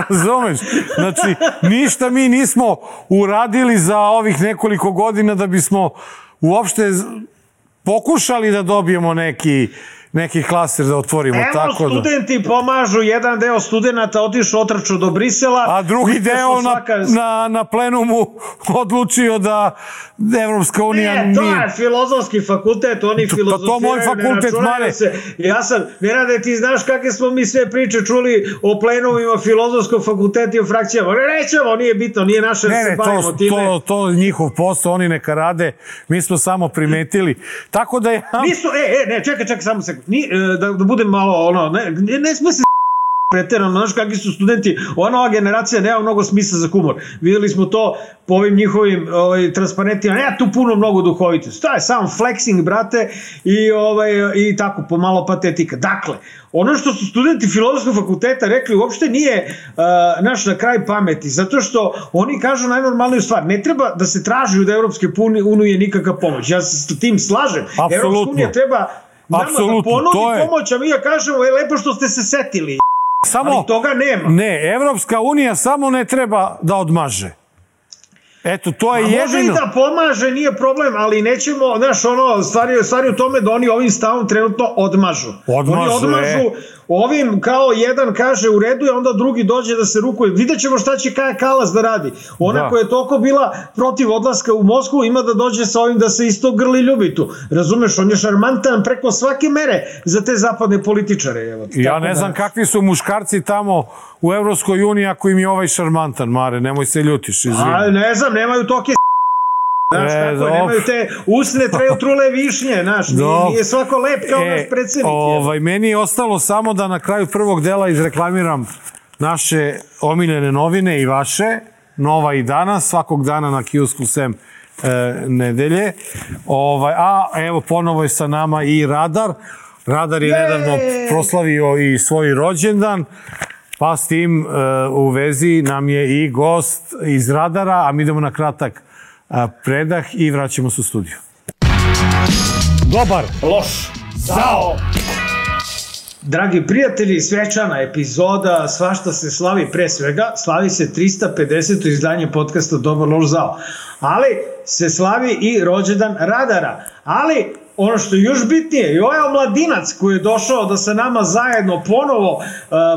Razumeš? Znači, ništa mi nismo uradili za ovih nekoliko godina da bismo uopšte pokušali da dobijemo neki, neki klaster da otvorimo. Evo, tako studenti da... pomažu, jedan deo studenta otišao, otrčao do Brisela. A drugi deo svaka... na, na, na plenumu odlučio da Evropska unija nije... Ne, to je filozofski fakultet, oni to, filozofiraju, pa to moj fakultet, mare. Se. Ja sam, Nenade, ti znaš kakve smo mi sve priče čuli o plenumima filozofskog fakulteta i o frakcijama. Ne, nećemo, nije bitno, nije naše, ne, da se bavimo to, time. To, to je njihov posao, oni neka rade, mi smo samo primetili. Tako da je... Nisu, e, e, ne, čekaj, čekaj, samo sekund. Ni, da, da budem malo, ono, ne, ne, ne sme se preterano, znaš kakvi su studenti, ova nova generacija nema mnogo smisla za humor. Videli smo to po ovim njihovim ovaj, transparentima, nema tu puno mnogo duhovitosti. To je samo flexing, brate, i, ovaj, i tako, pomalo patetika. Dakle, ono što su studenti filozofskog fakulteta rekli uopšte nije uh, naš na kraj pameti, zato što oni kažu najnormalniju stvar. Ne treba da se traži od Evropske unije nikakva pomoć. Ja se s tim slažem. Apsolutno. Evropska unija treba nama Apsolutno, da ponudi to je... pomoć, a mi ja kažemo, je lepo što ste se setili. Samo, ali toga nema. Ne, Evropska unija samo ne treba da odmaže. Eto, to je a jedino. Može i da pomaže, nije problem, ali nećemo, znaš, ono, stvari, stvari u tome da oni ovim stavom trenutno odmažu. Odmažu, oni odmažu, e. ovim kao jedan kaže u redu, a onda drugi dođe da se rukuje. Vidjet ćemo šta će Kaja Kalas da radi. Ona da. koja je toliko bila protiv odlaska u Moskvu ima da dođe sa ovim da se isto grli ljubi tu. Razumeš, on je šarmantan preko svake mere za te zapadne političare. Evo, ja ne znam da... kakvi su muškarci tamo u Evropskoj uniji ako im je ovaj šarmantan, Mare, nemoj se ljutiš. Izvini. A, ne znam, nemaju toke znaš, e, tako, nemaju te usne treju trule višnje, znaš, nije, nije svako lep kao e, naš predsjednik. Ovaj, meni je ostalo samo da na kraju prvog dela izreklamiram naše omiljene novine i vaše, Nova i Danas, svakog dana na kiosku sem e, nedelje. Ovaj, a evo ponovo je sa nama i Radar. Radar je Jeee! nedavno proslavio i svoj rođendan, pa s tim e, u vezi nam je i gost iz Radara, a mi idemo na kratak a, predah i vraćamo se u studiju. Dobar, loš, zao. Dragi prijatelji, svečana epizoda, svašta se slavi, pre svega, slavi se trista pedeseto izdanje podcasta Dobar, loš, zao. Ali se slavi i rođendan Radara. Ali ono što je još bitnije, i ovaj omladinac koji je došao da sa nama zajedno ponovo uh,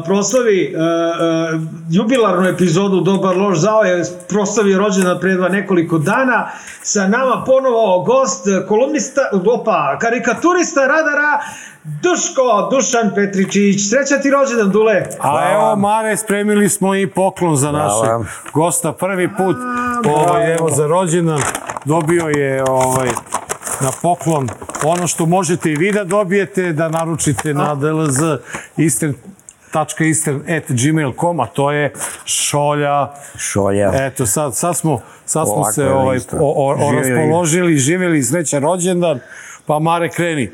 proslavi uh, uh, jubilarnu epizodu Dobar, loš, zao, je proslavio rođendan pre dva nekoliko dana. Sa nama ponovo gost, kolumnista, opa, karikaturista Radara, Duško, Dušan Petričić. Sreća ti rođendan, Dule. A evo, Mare, spremili smo i poklon za našeg gosta. Prvi put ovaj, evo, za rođendan dobio je ovaj, na poklon ono što možete i vi da dobijete, da naručite na d l z eastern tačka eastern at gmail dot com, a to je šolja. Šolja. Eto, sad, sad smo, sad smo se ovaj, o, o, o raspoložili, živjeli srećan rođendan, pa Mare, kreni.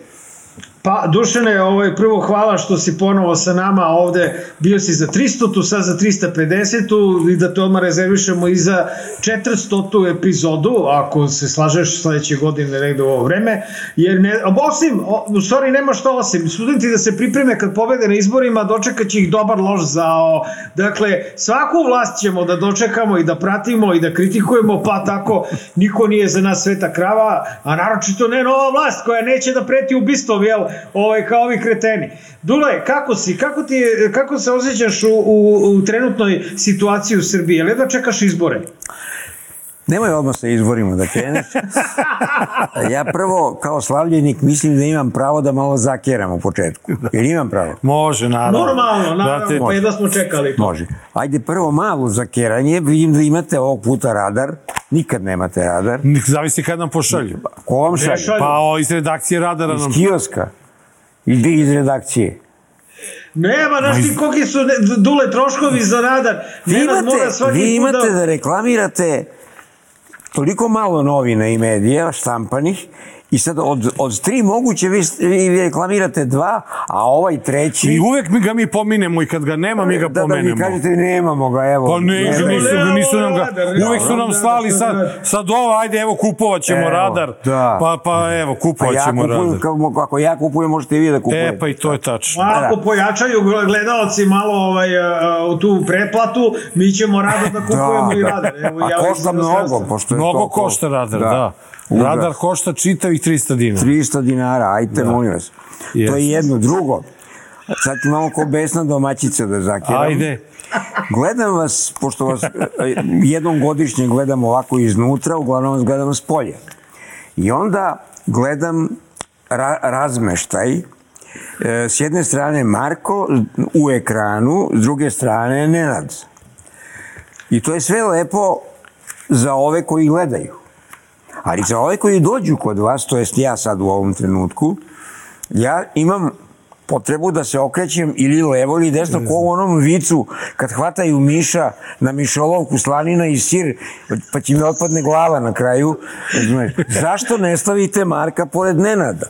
Pa, Dušane, ovaj, prvo hvala što si ponovo sa nama ovde, bio si za tristotu, sad za trista pedesetu i da te odmah rezervišemo i za četiristotu epizodu, ako se slažeš sledeće godine negde u ovo vreme, jer ne, osim, u stvari nema šta osim, studenti da se pripreme kad pobede na izborima, dočekat će ih Dobar, loš, zao, dakle, svaku vlast ćemo da dočekamo i da pratimo i da kritikujemo, pa tako niko nije za nas sveta krava, a naročito ne nova vlast koja neće da preti ubistvom, jel, ovaj, kao ovi kreteni. Dule, kako si? Kako, ti je, kako se osjećaš u, u, u trenutnoj situaciji u Srbiji? Jel jedva čekaš izbore? Nemoj odmah sa izborima da kreneš. Ja prvo, kao slavljenik, mislim da imam pravo da malo zakeram u početku. Jer imam pravo? Može, naravno. Normalno, naravno, pa jedva smo čekali to. Može. Ajde, prvo malo zakeranje, vidim da imate ovog puta Radar. Nikad nemate Radar. Zavisi kad nam pošalju. Ko vam šalju? Pa o, iz redakcije Radara nam... Iz kioska. Ili iz redakcije. Nema, znaš ti koliki su Dule troškovi za Radar. Vi imate, vi imate da reklamirate toliko malo novina i medija štampanih i sad od, od tri moguće vi, vi reklamirate dva, a ovaj treći... I uvek mi ga mi pominemo i kad ga nema mi ga da, pomenemo. Da, da vi kažete nemamo ga, evo. Pa ne, nisu, nisu, nisu nam ga... Uvek su nam slali sad, sad ovo, ajde, evo, kupovat ćemo evo, Radar. Da. Pa, pa evo, kupovat ćemo ja kupujem, Radar. Kako, ako ja kupujem, možete i vi da kupujete. E, pa i to je tačno. Ako pojačaju gledalci malo ovaj, u tu pretplatu, mi ćemo Radar da kupujemo da, i Radar. Evo, a ja košta mnogo, pošto je mnogo košta Radar, da. da. Radar košta čitavih trista dinara. trista dinara, ajte, da. Molim vas. Yes. To je jedno. Drugo, sad ću malo ko besna domaćica da zakiram. Ajde. Gledam vas, pošto vas jednom godišnje gledam ovako iznutra, uglavnom vas gledam s polja. I onda gledam ra razmeštaj. S jedne strane Marko u ekranu, s druge strane Nenad. I to je sve lepo za ove koji gledaju. Ali za ove koji dođu kod vas, to jest ja sad u ovom trenutku, ja imam potrebu da se okrećem ili levo ili desno, ko u onom vicu kad hvataju miša na mišolovku, slanina i sir, pa će mi otpadne glava na kraju. Zašto ne stavite Marka pored Nenada?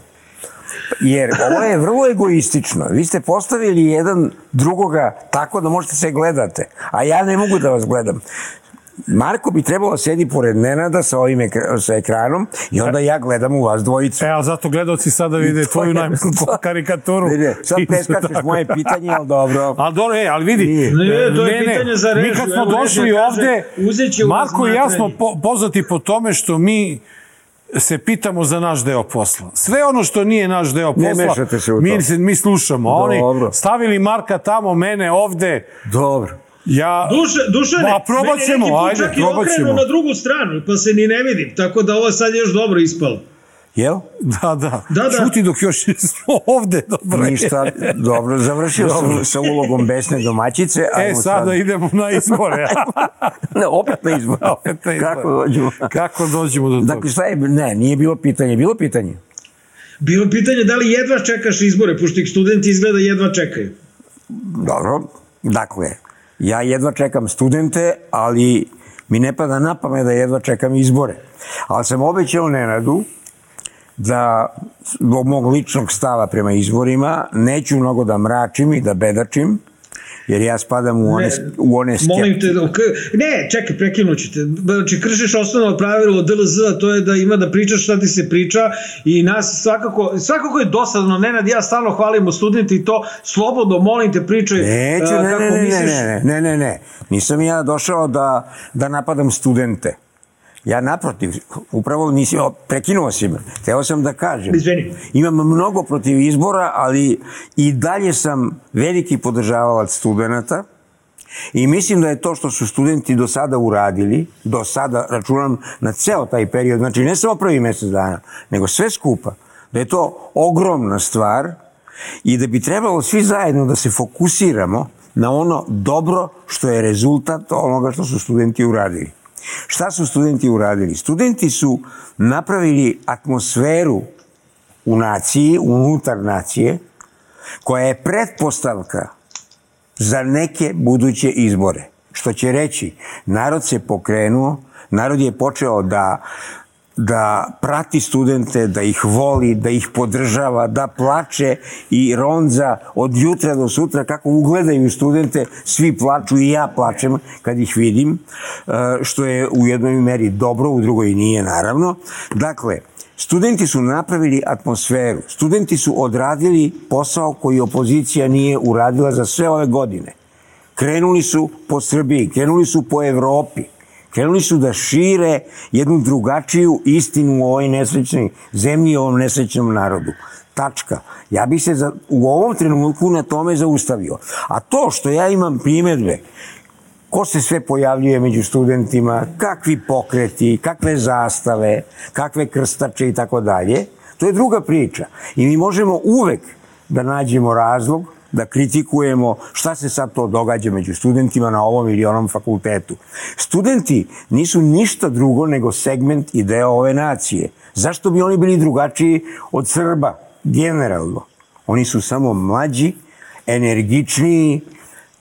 Jer ovo je vrlo egoistično. Vi ste postavili jedan drugoga tako da možete se gledate, a ja ne mogu da vas gledam. Marko bi trebalo da sedi pored Nenada sa ovim ekra sa ekranom i onda ja gledam u vas dvojicu. E, ali zato gledalci sada vide tvoju najmisliju karikaturu. Vide, sad preskačeš moje pitanje, ali dobro. Ali dobro, e, ali vidi. Ne, ne, to je ne, pitanje za režu. Mi kad smo došli ovde, Marko i ja smo po, poznati po tome što mi se pitamo za naš deo posla. Sve ono što nije naš deo posla, Ne mešate se u to. mi, mi slušamo. Oni Dobro. stavili Marka tamo, mene ovde. Dobro. Ja... Duše, Dušane, Ma, probat meni ćemo, neki put ajde, čak i probat okrenu ćemo. na drugu stranu, pa se ni ne vidim, tako da ovo sad još dobro ispalo. Jel? Da, da. Da, da. Šuti dok još smo ovde. Dobro. Ništa, dobro, završio Dobro. sam sa ulogom besne domaćice. E, ajmo sada sad. idemo na izbore. Ne, opet na izbore. Opet na izbore. Kako dođemo? Kako dođemo do toga? Dakle, šta je, ne, nije bilo pitanje, bilo pitanje. Bilo pitanje da li jedva čekaš izbore, pošto ih studenti izgleda jedva čekaju. Dobro, dakle, ja jedva čekam studente, ali mi ne pada na pamet da jedva čekam izbore. Ali sam obećao Nenadu da zbog mog ličnog stava prema izborima neću mnogo da mračim i da bedačim, jer ja spadam u one, Ne, u one skeptike. Molim te, ok- ne, čekaj, prekinuću te. Znači, kršiš osnovno pravilo D L Z, to je da ima da pričaš šta ti se priča i nas svakako, svakako je dosadno, Nenad, ja stalno hvalimo studenti i to, slobodno, molim te, pričaj Neću, a, ne, kako ne, ne, misliš. ne, ne, ne, ne, ne, nisam ja došao da, da napadam studente. Ja naprotiv, upravo nisi, prekinuo si me. Hteo sam da kažem. Izvini. Imam mnogo protiv izbora, ali i dalje sam veliki podržavalac studenta i mislim da je to što su studenti do sada uradili, do sada računam na ceo taj period, znači ne samo prvi mesec dana, nego sve skupa, da je to ogromna stvar i da bi trebalo svi zajedno da se fokusiramo na ono dobro što je rezultat onoga što su studenti uradili. Šta su studenti uradili? Studenti su napravili atmosferu u naciji, unutar nacije, koja je pretpostavka za neke buduće izbore. Što će reći, narod se pokrenuo, narod je počeo da da prati studente, da ih voli, da ih podržava, da plače i ronza od jutra do sutra, kako ugledaju studente, svi plaču i ja plačem kad ih vidim, što je u jednoj meri dobro, u drugoj nije naravno. Dakle, studenti su napravili atmosferu, studenti su odradili posao koji opozicija nije uradila za sve ove godine. Krenuli su po Srbiji, krenuli su po Evropi, krenuli su da šire jednu drugačiju istinu u ovoj nesrećnoj zemlji i ovom nesrećnom narodu. Tačka. Ja bih se za, u ovom trenutku na tome zaustavio. A to što ja imam primedbe, ko se sve pojavljuje među studentima, kakvi pokreti, kakve zastave, kakve krstače i tako dalje, to je druga priča. I mi možemo uvek da nađemo razlog da kritikujemo šta se sad to događa među studentima na ovom ili onom fakultetu. Studenti nisu ništa drugo nego segment i deo ove nacije. Zašto bi oni bili drugačiji od Srba, generalno? Oni su samo mlađi, energičniji,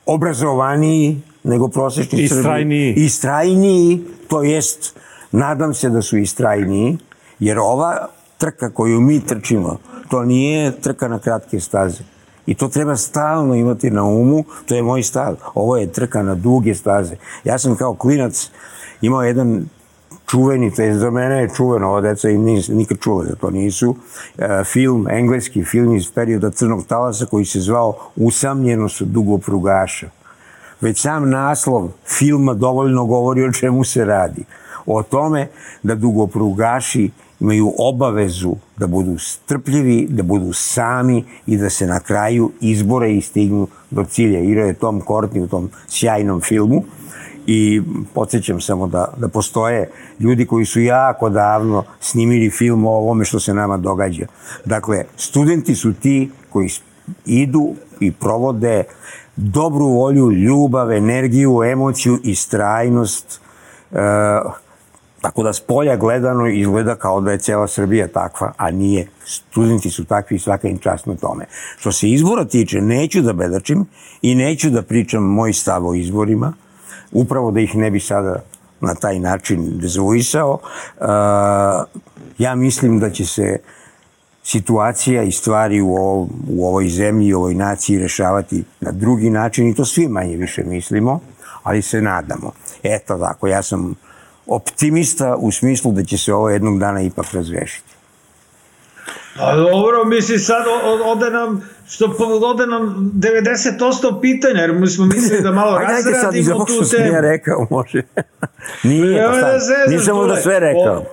obrazovaniji nego prosječni Srbi. Istrajniji. Istrajniji, to jest, nadam se da su istrajniji, jer ova trka koju mi trčimo, to nije trka na kratke staze. I to treba stalno imati na umu, to je moj stav. Ovo je trka na duge staze. Ja sam kao klinac imao jedan čuveni, to je za mene je čuveno, ova deca im nikad čula da to nisu, film, engleski film iz perioda Crnog talasa koji se zvao Usamljenost dugoprugaša. Već sam naslov filma dovoljno govori o čemu se radi. O tome da dugoprugaši imaju obavezu da budu strpljivi, da budu sami i da se na kraju izbore i stignu do cilja. Igrao je Tom Courtenay u tom sjajnom filmu i podsjećam samo da, da postoje ljudi koji su jako davno snimili film o ovome što se nama događa. Dakle, studenti su ti koji idu i provode dobru volju, ljubav, energiju, emociju i istrajnost. E, tako da s polja gledano izgleda kao da je cijela Srbija takva, a nije. Studenti su takvi i svaka im čast na tome. Što se izbora tiče, neću da bedačim i neću da pričam moj stav o izborima, upravo da ih ne bi sada na taj način dezavuisao. E, ja mislim da će se situacija i stvari u, ovo, u ovoj zemlji i u ovoj naciji rešavati na drugi način i to svi manje više mislimo, ali se nadamo. Eto tako, ja sam optimista u smislu da će se ovo jednog dana ipak razrešiti. A dobro, misli sad ode nam, što ode nam devedeset posto pitanja, jer mi smo mislili da malo razradimo tu temu. Ajde sad iz ovog što sam ja rekao, može. Nije, pa sad, nisam onda sve rekao.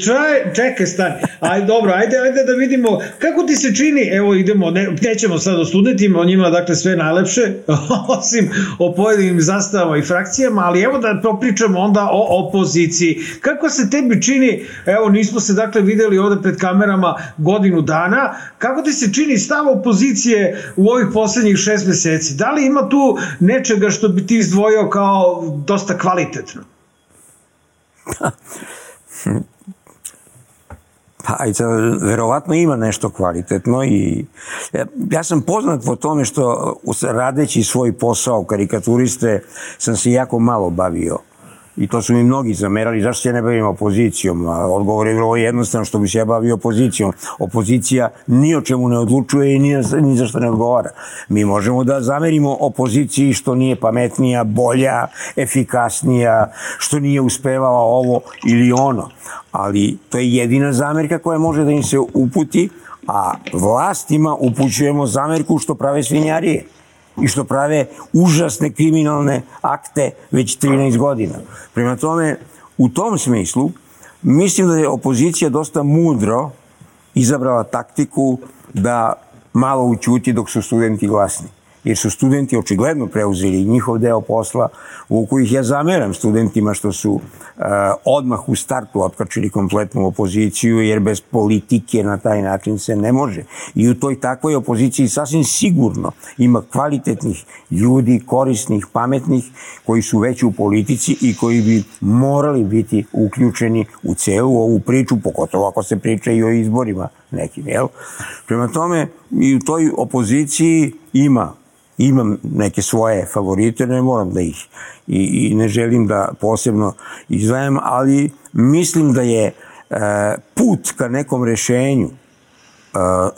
Čaj, čekaj, stani. Ajde, dobro, ajde, ajde da vidimo kako ti se čini, evo idemo, ne, nećemo sad o studentima, o njima dakle sve najlepše, osim o pojedinim zastavama i frakcijama, ali evo da popričamo onda o opoziciji. Kako se tebi čini, evo nismo se dakle videli ovde pred kamerama godinu dana, kako ti se čini stav opozicije u ovih poslednjih šest meseci? Da li ima tu nečega što bi ti izdvojio kao dosta kvalitetno? Pa, verovatno ima nešto kvalitetno i ja, ja sam poznat po tome što radeći svoj posao karikaturiste sam se jako malo bavio. I to su mi mnogi zamerali, zašto se ne bavim opozicijom? A odgovor je vrlo jednostavno, što bi se ja bavio opozicijom. Opozicija ni o čemu ne odlučuje i ni, ni za što ne odgovara. Mi možemo da zamerimo opoziciji što nije pametnija, bolja, efikasnija, što nije uspevala ovo ili ono. Ali to je jedina zamerka koja može da im se uputi, a vlastima upućujemo zamerku što prave svinjarije i što prave užasne kriminalne akte već trinaest godina. Prema tome, u tom smislu, mislim da je opozicija dosta mudro izabrala taktiku da malo ućuti dok su studenti glasni. Jer su studenti očigledno preuzeli njihov deo posla, u kojih ja zameram studentima što su uh, odmah u startu otkačili kompletnu opoziciju, jer bez politike na taj način se ne može. I u toj takvoj opoziciji sasvim sigurno ima kvalitetnih ljudi, korisnih, pametnih, koji su već u politici i koji bi morali biti uključeni u celu ovu priču, pogotovo ako se priča i o izborima nekim, jel? Prema tome, i u toj opoziciji ima Imam neke svoje favorite, ne moram da ih i, i ne želim da posebno izdvajam, ali mislim da je e, put ka nekom rešenju e,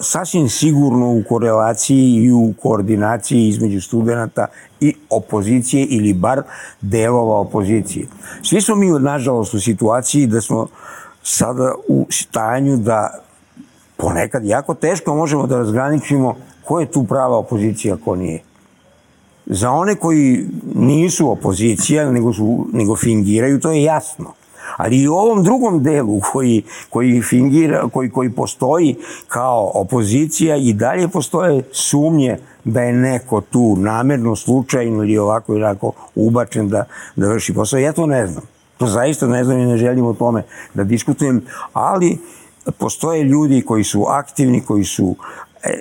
sasvim sigurno u korelaciji i u koordinaciji između studenta i opozicije ili bar delova opozicije. Svi smo mi, nažalost, u situaciji da smo sada u stanju da ponekad jako teško možemo da razgraničimo ko je tu prava opozicija, ko nije. Za one koji nisu opozicija, nego, su, nego fingiraju, to je jasno. Ali i u ovom drugom delu koji, koji, fingira, koji, koji postoji kao opozicija i dalje postoje sumnje da je neko tu namerno, slučajno ili ovako ili ovako ubačen da, da vrši posao. Ja to ne znam. To zaista ne znam i ne želim o tome da diskutujem, ali postoje ljudi koji su aktivni, koji su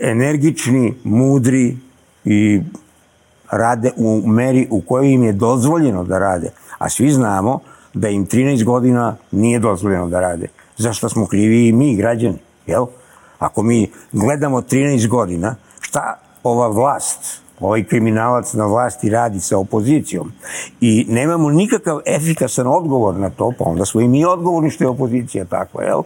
energični, mudri i rade u meri u kojoj im je dozvoljeno da rade. A svi znamo da im trinaest godina nije dozvoljeno da rade. Zašto smo krivi i mi, građani, jel? Ako mi gledamo trinaest godina, šta ova vlast, ovaj kriminalac na vlasti radi sa opozicijom i nemamo nikakav efikasan odgovor na to, pa onda smo i mi odgovorni što je opozicija takva, jel?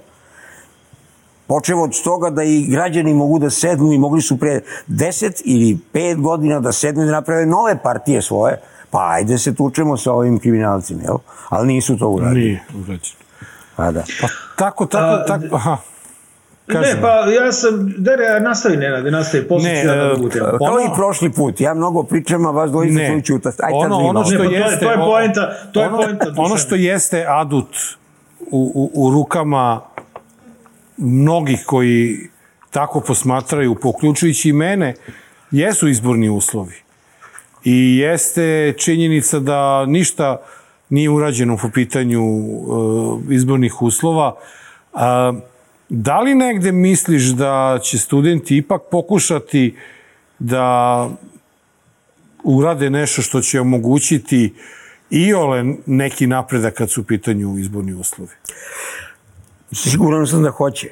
Počevo od toga da i građani mogu da sednu i mogli su pre deset ili pet godina da sednu i da naprave nove partije svoje, pa ajde se tučemo sa ovim kriminalcima, jel? Ali nisu to uradili. Nije urađeno. Pa da. Pa tako, tako, A, tako, aha. Kažem. Ne, pa ja sam, da nastavi, Nenade, nastavi, posle ću ja da mogu te. Kao i prošli put, ja mnogo pričam, a vas dvojica ću čuta. Ono, ono što ne, jeste, to je poenta, to je ono, poenta. Ono što jeste adut u, u, u rukama mnogih koji tako posmatraju, poključujući i mene, jesu izborni uslovi. I jeste činjenica da ništa nije urađeno po pitanju uh, izbornih uslova. Uh, da li negde misliš da će studenti ipak pokušati da urade nešto što će omogućiti iole neki napredak kad su u pitanju izborni uslovi? Siguran sam da hoće.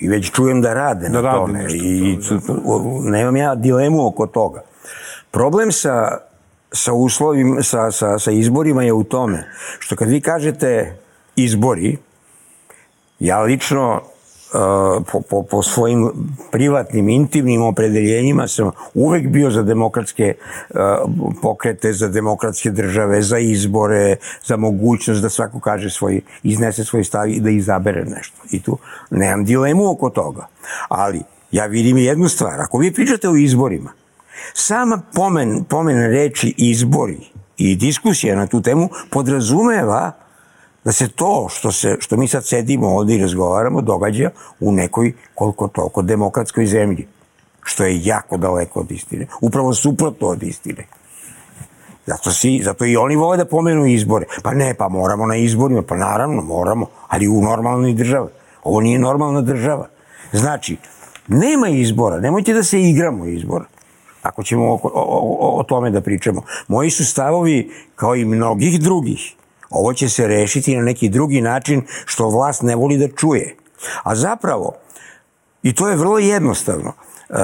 I već čujem da rade da na rade tome. Nešto, I to, nemam ja dilemu oko toga. Problem sa, sa uslovima, sa, sa, sa izborima je u tome što kad vi kažete izbori, ja lično uh, po, po, po svojim privatnim, intimnim opredeljenjima sam uvek bio za demokratske uh, pokrete, za demokratske države, za izbore, za mogućnost da svako kaže svoj, iznese svoj stav i da izabere nešto. I tu nemam dilemu oko toga. Ali ja vidim jednu stvar. Ako vi pričate o izborima, sama pomen, pomen reči izbori i diskusija na tu temu podrazumeva da se to što, se, što mi sad sedimo ovdje i razgovaramo događa u nekoj koliko toliko demokratskoj zemlji, što je jako daleko od istine. Upravo suprotno od istine. Zato, si, zato i oni vole da pomenu izbore. Pa ne, pa moramo na izborima, pa naravno moramo, ali u normalnoj državi. Ovo nije normalna država. Znači, nema izbora, nemojte da se igramo izbora, ako ćemo o, o, o tome da pričamo. Moji su stavovi, kao i mnogih drugih, ovo će se rešiti na neki drugi način što vlast ne voli da čuje. A zapravo, i to je vrlo jednostavno, uh,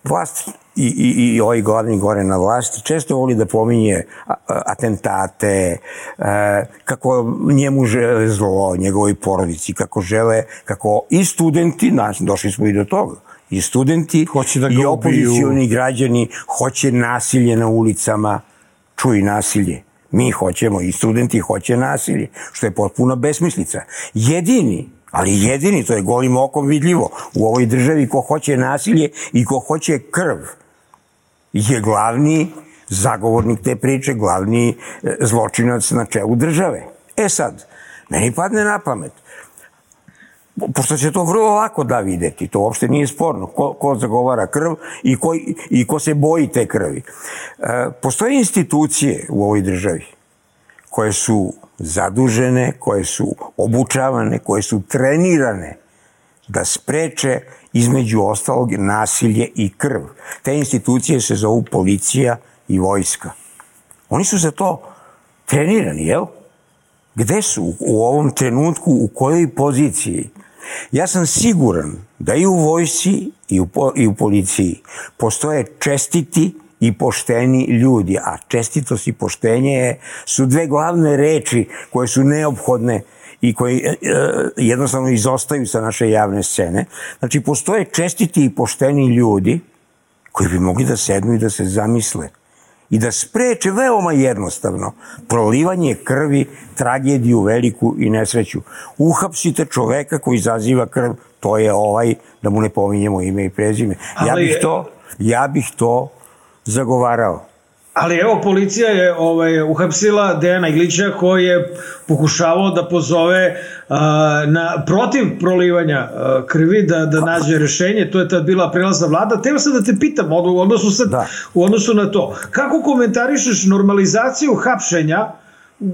vlast i, i, i ovaj glavni gore na vlasti često voli da pominje atentate, kako njemu žele zlo, njegovoj porodici, kako žele, kako i studenti, došli smo i do toga, i studenti da i opozicioni građani hoće nasilje na ulicama, čuj nasilje. Mi hoćemo, i studenti hoće nasilje, što je potpuno besmislica. Jedini, ali jedini, to je golim okom vidljivo, u ovoj državi ko hoće nasilje i ko hoće krv, je glavni zagovornik te priče, glavni zločinac na čelu države. E sad, meni padne na pamet, pošto se to vrlo lako da videti, to uopšte nije sporno, ko, ko zagovara krv i ko, i ko se boji te krvi. E, postoje institucije u ovoj državi koje su zadužene, koje su obučavane, koje su trenirane da spreče između ostalog nasilje i krv. Te institucije se zovu policija i vojska. Oni su za to trenirani, jel? Gde su u ovom trenutku, u kojoj poziciji? Ja sam siguran da i u vojsci i u, i u policiji postoje čestiti i pošteni ljudi, a čestitost i poštenje su dve glavne reči koje su neophodne i koji e, jednostavno izostaju sa naše javne scene. Znači, postoje čestiti i pošteni ljudi koji bi mogli da sednu i da se zamisle i da spreče veoma jednostavno prolivanje krvi, tragediju veliku i nesreću. Uhapsite čoveka koji izaziva krv, to je ovaj, da mu ne pominjemo ime i prezime. Ja bih to, ja bih to zagovarao. Ali evo, policija je ovaj, uhapsila Dejana Iglića koji je pokušavao da pozove uh, na, protiv prolivanja uh, krvi, da, da nađe rešenje. To je tad bila prelazna vlada. Teo sam da te pitam u odnosu, sad, da. u odnosu na to. Kako komentarišeš normalizaciju hapšenja?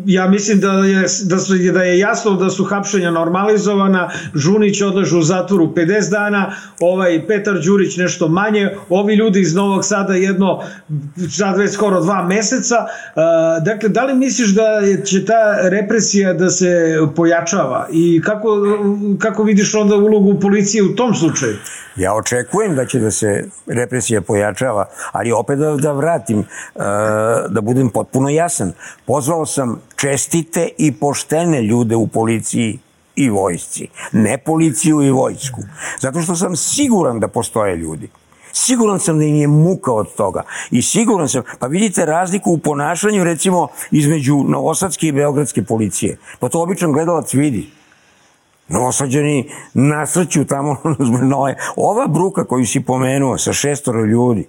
Ja mislim da je, da, su, da je jasno da su hapšenja normalizovana. Žunić odlaže u zatvoru pedeset dana, ovaj Petar Đurić nešto manje, ovi ljudi iz Novog Sada jedno, sad već skoro dva meseca. Uh, dakle, da li misliš da će ta represija da se pojačava i kako, kako vidiš onda ulogu policije u tom slučaju? Ja očekujem da će da se represija pojačava, ali opet da, da vratim, uh, da budem potpuno jasan. Pozvao sam čestite i poštene ljude u policiji i vojsci, ne policiju i vojsku. Zato što sam siguran da postoje ljudi. Siguran sam da im je muka od toga. I siguran sam, pa vidite razliku u ponašanju recimo između novosadske i beogradske policije. Pa to običan gledalac vidi. Novosađani nasrću tamo. Ova bruka koju si pomenuo sa šestoro ljudi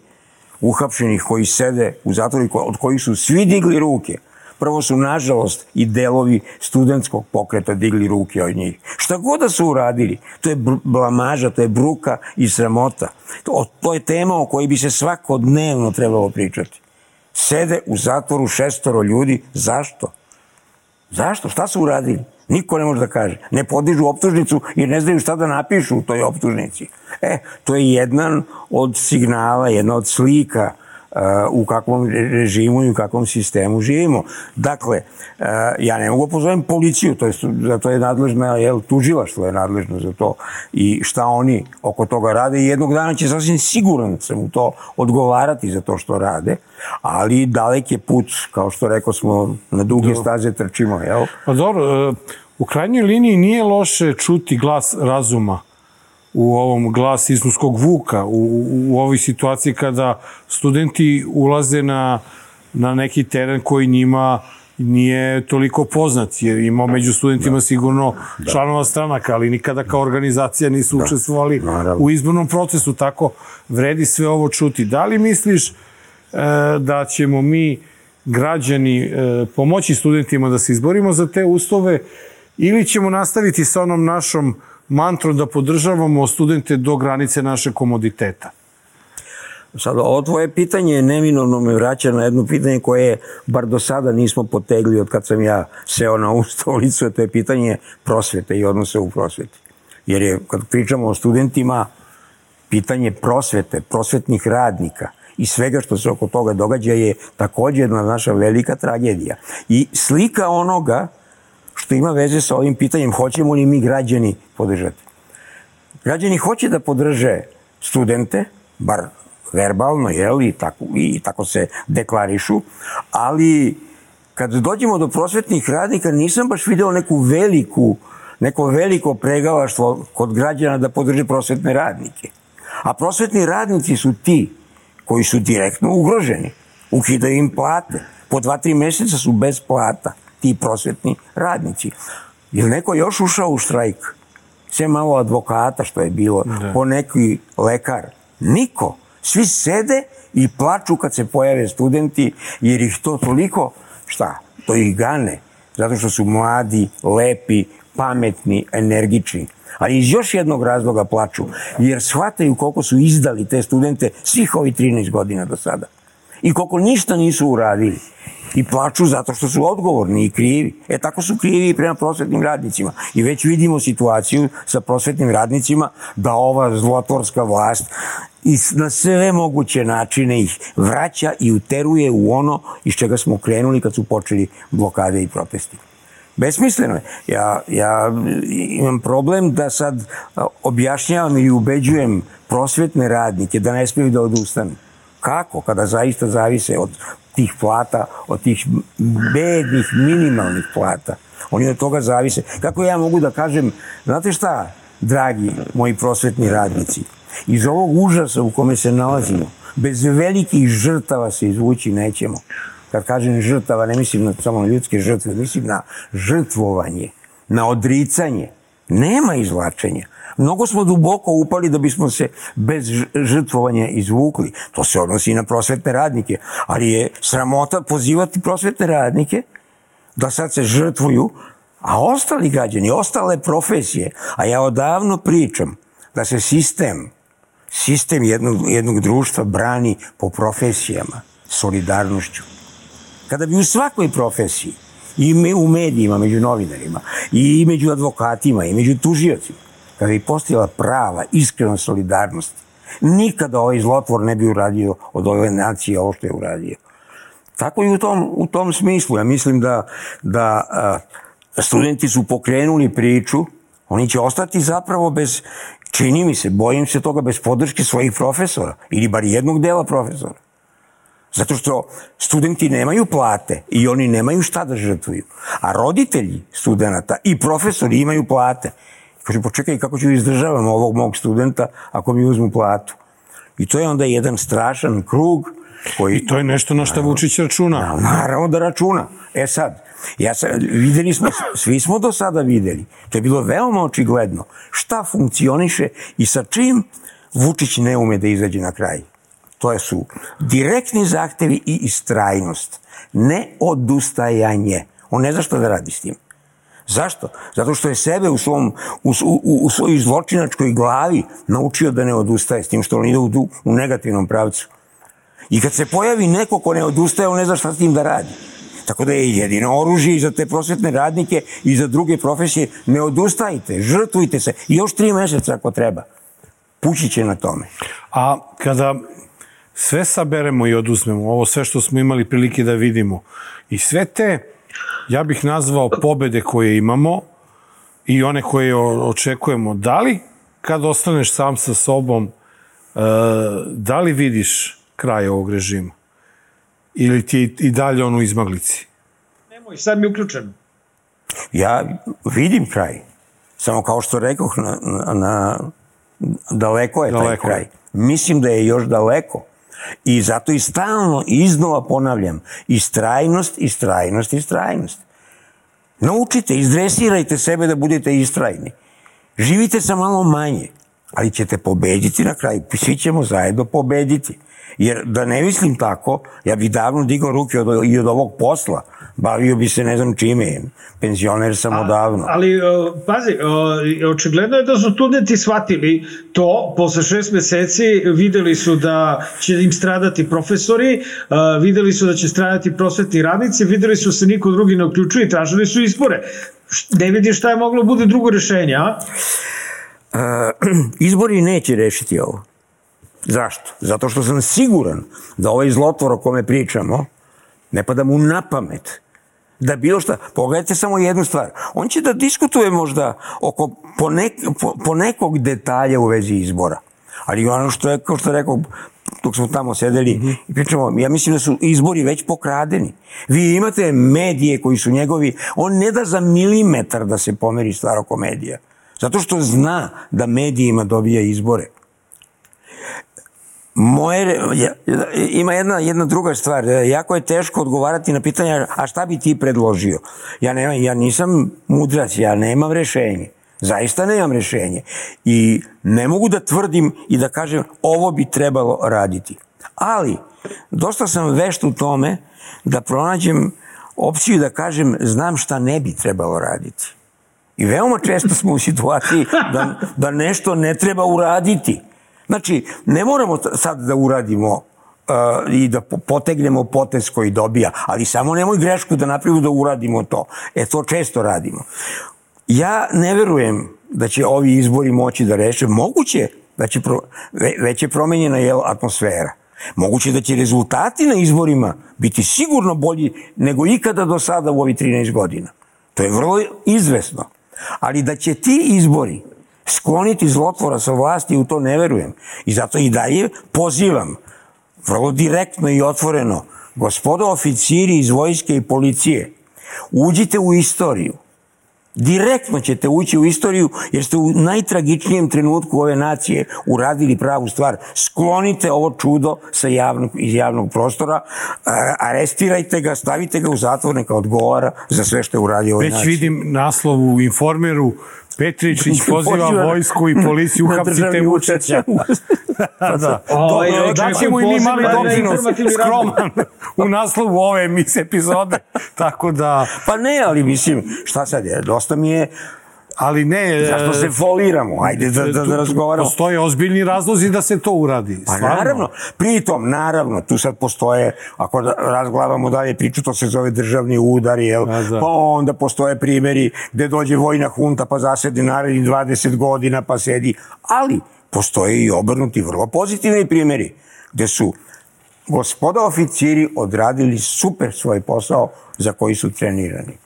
uhapšenih koji sede u zatvoru, od kojih su svi digli ruke. Prvo su, nažalost, i delovi studentskog pokreta digli ruke od njih. Šta god da su uradili, to je blamaža, to je bruka i sramota. To, to je tema o kojoj bi se svakodnevno trebalo pričati. Sede u zatvoru šestoro ljudi. Zašto? Zašto? Šta su uradili? Niko ne može da kaže. Ne podižu optužnicu jer ne znaju šta da napišu u toj optužnici. E, to je jedan od signala, jedna od slika u kakvom režimu i u kakvom sistemu živimo. Dakle, ja ne mogu pozovem policiju, to je, za to je nadležna, jel, tužilaštvo je nadležno za to i šta oni oko toga rade i jednog dana će sasvim siguran sam u to odgovarati za to što rade, ali dalek je put, kao što rekao smo, na duge staze trčimo, jel? Pa dobro, u krajnjoj liniji nije loše čuti glas razuma u ovom glas islamskog vuka, u, u ovoj situaciji kada studenti ulaze na, na neki teren koji njima nije toliko poznat, jer ima među studentima da. sigurno da. članova stranaka, ali nikada kao organizacija nisu da. učestvovali Naravno. u izbornom procesu, tako vredi sve ovo čuti. Da li misliš e, da ćemo mi građani pomoći studentima da se izborimo za te uslove ili ćemo nastaviti sa onom našom mantrom da podržavamo studente do granice našeg komoditeta? Sad, ovo tvoje pitanje neminovno me vraća na jedno pitanje koje bar do sada nismo potegli od kad sam ja seo na ovu stolicu, to je pitanje prosvete i odnose u prosveti. Jer je, kad pričamo o studentima, pitanje prosvete, prosvetnih radnika i svega što se oko toga događa je također jedna naša velika tragedija. I slika onoga što ima veze sa ovim pitanjem, hoćemo li mi građani podržati. Građani hoće da podrže studente, bar verbalno, jel, i tako, i tako se deklarišu, ali kad dođemo do prosvetnih radnika nisam baš video neku veliku, neko veliko pregalaštvo kod građana da podrže prosvetne radnike. A prosvetni radnici su ti koji su direktno ugroženi. Ukidaju im plate. Po dva, tri mjeseca su bez plata ti prosvetni radnici. Je li neko još ušao u štrajk? Sve malo advokata što je bilo, da. Po neki lekar. Niko. Svi sede i plaču kad se pojave studenti, jer ih to toliko, šta, to ih gane. Zato što su mladi, lepi, pametni, energični. Ali iz još jednog razloga plaču, jer shvataju koliko su izdali te studente svih ovih trinaest godina do sada. I koliko ništa nisu uradili. I plaču zato što su odgovorni i krivi. E tako su krivi i prema prosvetnim radnicima. I već vidimo situaciju sa prosvetnim radnicima da ova zlotvorska vlast i na sve moguće načine ih vraća i uteruje u ono iz čega smo krenuli kad su počeli blokade i protesti. Besmisleno je. Ja, ja imam problem da sad objašnjavam i ubeđujem prosvetne radnike da ne smiju da odustanu. Kako? Kada zaista zavise od tih plata, od tih bednih, minimalnih plata. Oni od toga zavise. Kako ja mogu da kažem, znate šta, dragi moji prosvetni radnici, iz ovog užasa u kome se nalazimo, bez velikih žrtava se izvući nećemo. Kad kažem žrtava, ne mislim na, samo na ljudske žrtve, mislim na žrtvovanje, na odricanje. Nema izvlačenja. Mnogo smo duboko upali da bismo se bez žrtvovanja izvukli. To se odnosi i na prosvetne radnike. Ali je sramota pozivati prosvetne radnike da sad se žrtvuju, a ostali građani, ostale profesije, a ja odavno pričam da se sistem, sistem jednog, jednog društva brani po profesijama, solidarnošću. Kada bi u svakoj profesiji, i u medijima, među novinarima, i među advokatima, i među tužiocima, kada bi postojala prava, iskrena solidarnost, nikada ovaj zlotvor ne bi uradio od ove nacije ovo što je uradio. Tako i u tom, u tom smislu. Ja mislim da, da a, studenti su pokrenuli priču, oni će ostati zapravo bez, čini mi se, bojim se toga, bez podrške svojih profesora, ili bar jednog dela profesora. Zato što studenti nemaju plate i oni nemaju šta da žrtvuju. A roditelji studenta i profesori imaju plate. Kaže, počekaj, kako ću izdržavam ovog mog studenta ako mi uzmu platu? I to je onda jedan strašan krug koji... I to je nešto na što Vučić računa. Naravno da računa. E sad, ja sam, videli smo, svi smo do sada videli. To je bilo veoma očigledno. Šta funkcioniše i sa čim Vučić ne ume da izađe na kraj. To su direktni zahtevi i istrajnost. Ne odustajanje. On ne zna šta da radi s tim. Zašto? Zato što je sebe u, svom, u, u, u svojoj zločinačkoj glavi naučio da ne odustaje, s tim što on ide u, u negativnom pravcu. I kad se pojavi neko ko ne odustaje, on ne zna šta s tim da radi. Tako da je jedino oružje i za te prosvetne radnike i za druge profesije. Ne odustajte, žrtvujte se. I još tri mjeseca ako treba. Pući će na tome. A kada sve saberemo i oduzmemo, ovo sve što smo imali prilike da vidimo, i sve te, ja bih nazvao pobede koje imamo i one koje očekujemo, da li kad ostaneš sam sa sobom, da li vidiš kraj ovog režima? Ili ti je i dalje ono u izmaglici? Nemoj, sad mi je uključen. Ja vidim kraj. Samo kao što rekoh, na, na, na, daleko je taj daleko. Kraj. Mislim da je još daleko. I zato i stalno iznova ponavljam, istrajnost, istrajnost, istrajnost. Naučite, izdresirajte sebe da budete istrajni. Živite sa malo manje, ali ćete pobediti na kraju. Svi ćemo zajedno pobediti. Jer da ne mislim tako, ja bih davno digao ruke od, i od ovog posla. Bavio bi se ne znam čime, penzioner sam odavno. Ali, pazi, očigledno je da su studenti shvatili to, posle šest meseci videli su da će im stradati profesori, videli su da će stradati prosvetni radnici, videli su se niko drugi ne uključuje i tražili su izbore. Ne vidim šta je moglo bude drugo rešenje, a? Izbori neće rešiti ovo. Zašto? Zato što sam siguran da ovaj zlotvor o kome pričamo ne pada mu na pamet da bilo šta. Pogledajte samo jednu stvar. On će da diskutuje možda oko ponek, po, po nekog detalja u vezi izbora. Ali ono što je, kao što rekao, dok smo tamo sedeli mm-hmm. i pričamo, ja mislim da su izbori već pokradeni. Vi imate medije koji su njegovi, on ne da za milimetar da se pomeri stvar oko medija. Zato što zna da medijima dobija izbore. Moje, ja, ima jedna, jedna druga stvar, jako je teško odgovarati na pitanja, a šta bi ti predložio? Ja, nema, ja nisam mudrac, ja nemam rešenje. Zaista nemam rešenje. I ne mogu da tvrdim i da kažem ovo bi trebalo raditi. Ali, dosta sam vešt u tome da pronađem opciju da kažem znam šta ne bi trebalo raditi. I veoma često smo u situaciji da, da nešto ne treba uraditi. Znači, ne moramo sad da uradimo uh, i da potegnemo potez koji dobija, ali samo nemoj grešku da napravimo da uradimo to. E, to često radimo. Ja ne verujem da će ovi izbori moći da reše. Moguće da će pro, ve, već je promenjena jel, atmosfera. Moguće da će rezultati na izborima biti sigurno bolji nego ikada do sada u ovih trinaest godina. To je vrlo izvesno. Ali da će ti izbori skloniti zlotvora sa vlasti, u to ne verujem. I zato i dalje pozivam, vrlo direktno i otvoreno, gospodo oficiri iz vojske i policije, uđite u istoriju. Direktno ćete ući u istoriju, jer ste u najtragičnijem trenutku ove nacije uradili pravu stvar. Sklonite ovo čudo sa javnog, iz javnog prostora, arestirajte ga, stavite ga u zatvor, neka odgovara za sve što je uradio ovoj naciji. Već vidim naslov u Informeru, Petričić poziva vojsku i policiju, uhapsite Vučića. Da, da. Daćemo i mi mali doprinos, skroman, u naslovu ove emisije epizode. Tako da... Pa ne, ali mislim, šta sad je, dosta mi je... Ali ne... Zašto se foliramo? Ajde da, da, da razgovaramo. Postoje ozbiljni razlozi da se to uradi. Pa naravno. Pritom, naravno, tu sad postoje, ako razglavamo dalje priču, to se zove državni udar, jel? Pa onda postoje primjeri gde dođe vojna hunta pa zasedi narednih dvadeset godina pa sedi. Ali postoje i obrnuti vrlo pozitivni primjeri gde su gospoda oficiri odradili super svoj posao za koji su trenirani.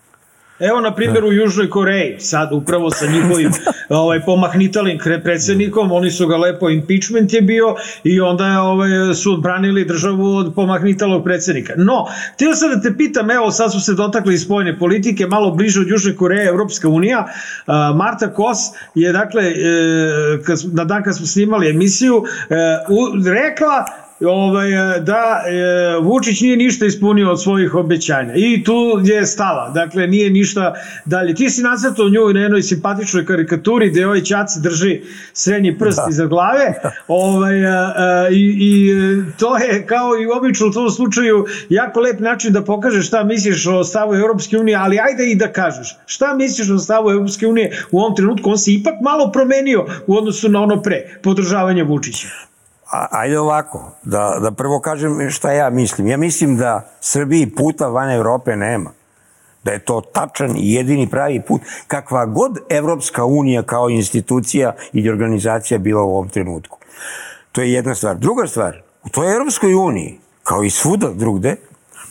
Evo, na primjer, u Južnoj Koreji, sad upravo sa njihovim ovaj, pomahnitalim predsjednikom, oni su ga lepo, impeachment je bio i onda ovaj, su odbranili državu od pomahnitalog predsjednika. No, htio sam da te pitam, evo, sad su se dotakli iz spoljne politike, malo bliže od Južne Koreje, Evropska unija. Marta Kos je, dakle, na dan kad smo snimali emisiju, rekla Ovaj, da e, Vučić nije ništa ispunio od svojih obećanja i tu je stala, dakle nije ništa dalje. Ti si nacrtao nju na jednoj simpatičnoj karikaturi gde ovaj Ćaci drži srednji prst da. iza glave ovaj, a, a, i, i to je kao i obično u tom slučaju jako lep način da pokažeš šta misliš o stavu Evropske unije, ali ajde i da kažeš šta misliš o stavu Evropske unije u ovom trenutku. On se ipak malo promenio u odnosu na ono pre, podržavanje Vučića. Ajde ovako, da, da prvo kažem šta ja mislim. Ja mislim da Srbiji puta van Evrope nema. Da je to tačan i jedini pravi put. Kakva god Evropska unija kao institucija ili organizacija bila u ovom trenutku. To je jedna stvar. Druga stvar, u toj Evropskoj uniji, kao i svuda drugde,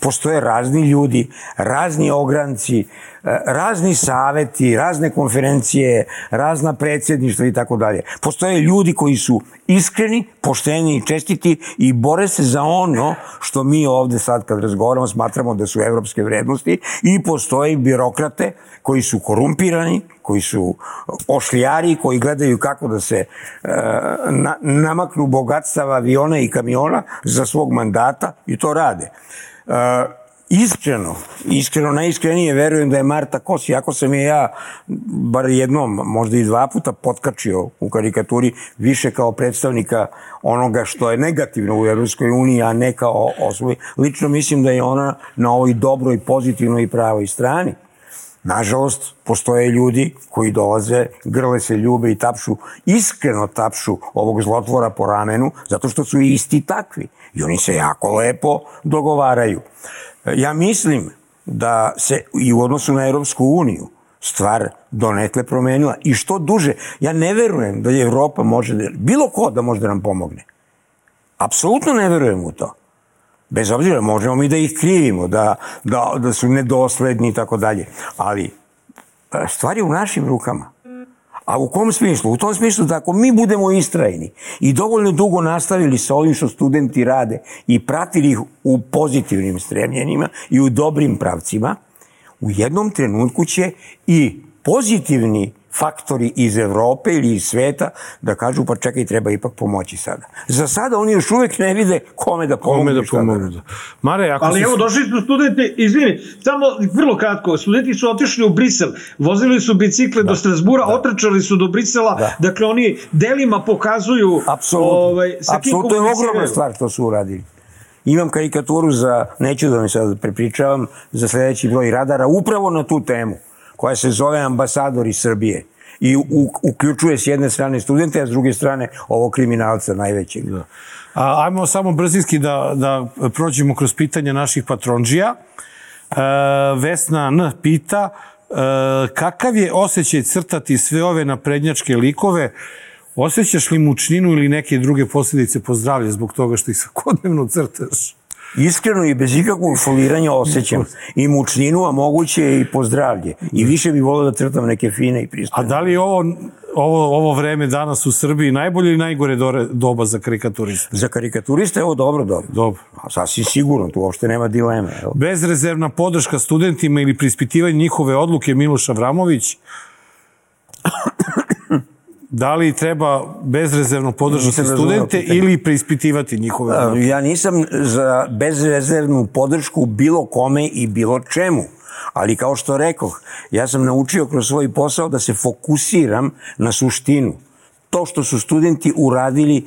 postoje razni ljudi, razni ogranci, razni saveti, razne konferencije, razna predsjedništva i tako dalje. Postoje ljudi koji su iskreni, pošteni i čestiti i bore se za ono što mi ovde sad kad razgovaramo smatramo da su evropske vrednosti, i postoje birokrate koji su korumpirani, koji su ošlijari, koji gledaju kako da se uh, na, namaknu bogatstava aviona i kamiona za svog mandata i to rade. Uh, iskreno, iskreno, najiskrenije verujem da je Marta Kos, iako sam je ja bar jednom, možda i dva puta potkačio u karikaturi, više kao predstavnika onoga što je negativno u Evropskoj uniji, a ne kao osobi. Lično mislim da je ona na ovoj dobroj, pozitivnoj i pravoj strani. Nažalost, postoje ljudi koji dolaze, grle se, ljube i tapšu, iskreno tapšu ovog zlotvora po ramenu, zato što su isti takvi. I oni se jako lepo dogovaraju. Ja mislim da se i u odnosu na Evropsku uniju stvar donekle promenila. I što duže, ja ne verujem da je Evropa može da, bilo ko da može da nam pomogne. Apsolutno ne verujem u to. Bez obzira, možemo mi da ih krivimo, da, da, da su nedosledni i tako dalje. Ali stvar je u našim rukama. A u kom smislu? U tom smislu da ako mi budemo istrajni i dovoljno dugo nastavili sa ovim što studenti rade i pratili ih u pozitivnim stremljenjima i u dobrim pravcima, u jednom trenutku će i pozitivni faktori iz Evrope ili iz sveta da kažu pa čekaj, treba ipak pomoći sada. Za sada oni još uvek ne vide kome da pomogu. Kome da pomogu. Mare, ako ali si... evo, došli su studenti, izvini, samo vrlo kratko, studenti su otišli u Brisel, vozili su bicikle da. do Strasbura, da. otrčali su do Brisela, da. dakle oni delima pokazuju... Apsolutno, ovaj, apsolutno je ogromna stvar to su uradili. Imam karikaturu za, neću da mi sad prepričavam, za sledeći broj radara, upravo na tu temu, koja se zove Ambasadori Srbije. I u, uključuje s jedne strane studente, a s druge strane ovog kriminalca najvećeg. Da. A, ajmo samo brzinski da, da prođemo kroz pitanja naših patronđija. E, Vesna N. pita e, kakav je osjećaj crtati sve ove naprednjačke likove? Osjećaš li mučninu ili neke druge posljedice po zdravlje zbog toga što ih svakodnevno crtaš? Iskreno i bez ikakvog foliranja osjećam i mučninu, a moguće i pozdravlje. I više bih volio da crtam neke fine i pristojne. A da li je ovo, ovo, ovo vreme danas u Srbiji najbolje ili najgore doba za karikaturiste? Za karikaturiste je ovo dobro doba. Dobro. A sasvim sigurno, tu uopšte nema dileme. Evo. Bezrezervna podrška studentima ili preispitivanje njihove odluke Miloš Avramović. Da li treba bezrezervno podržati studente ili preispitivati njihove odluke? Ja nisam za bezrezervnu podršku bilo kome i bilo čemu. Ali kao što rekoh, ja sam naučio kroz svoj posao da se fokusiram na suštinu. To što su studenti uradili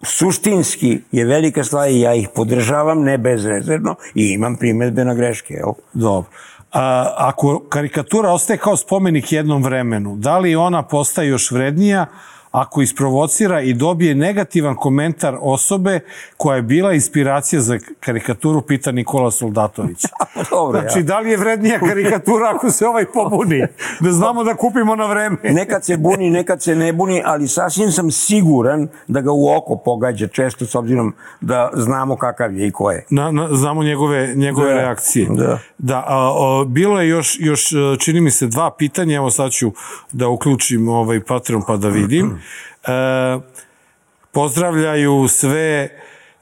suštinski je velika stvar i ja ih podržavam, ne bezrezervno, i imam primedbe na greške. Jel? Dobro. A, ako karikatura ostaje kao spomenik jednom vremenu, da li ona postaje još vrednija ako isprovocira i dobije negativan komentar osobe koja je bila inspiracija za karikaturu, pita Nikola Soldatović. Dobro, znači, ja. da li je vrednija karikatura ako se ovaj pobuni? Da znamo da kupimo na vreme. Nekad se buni, nekad se ne buni, ali sasvim sam siguran da ga u oko pogađa često, s obzirom da znamo kakav je i ko je. Na, na, znamo njegove, njegove da, reakcije. Da. Da, a, a, bilo je još, još, čini mi se, dva pitanja. Evo sad ću da uključim ovaj Patreon pa da vidim. E, pozdravljaju sve.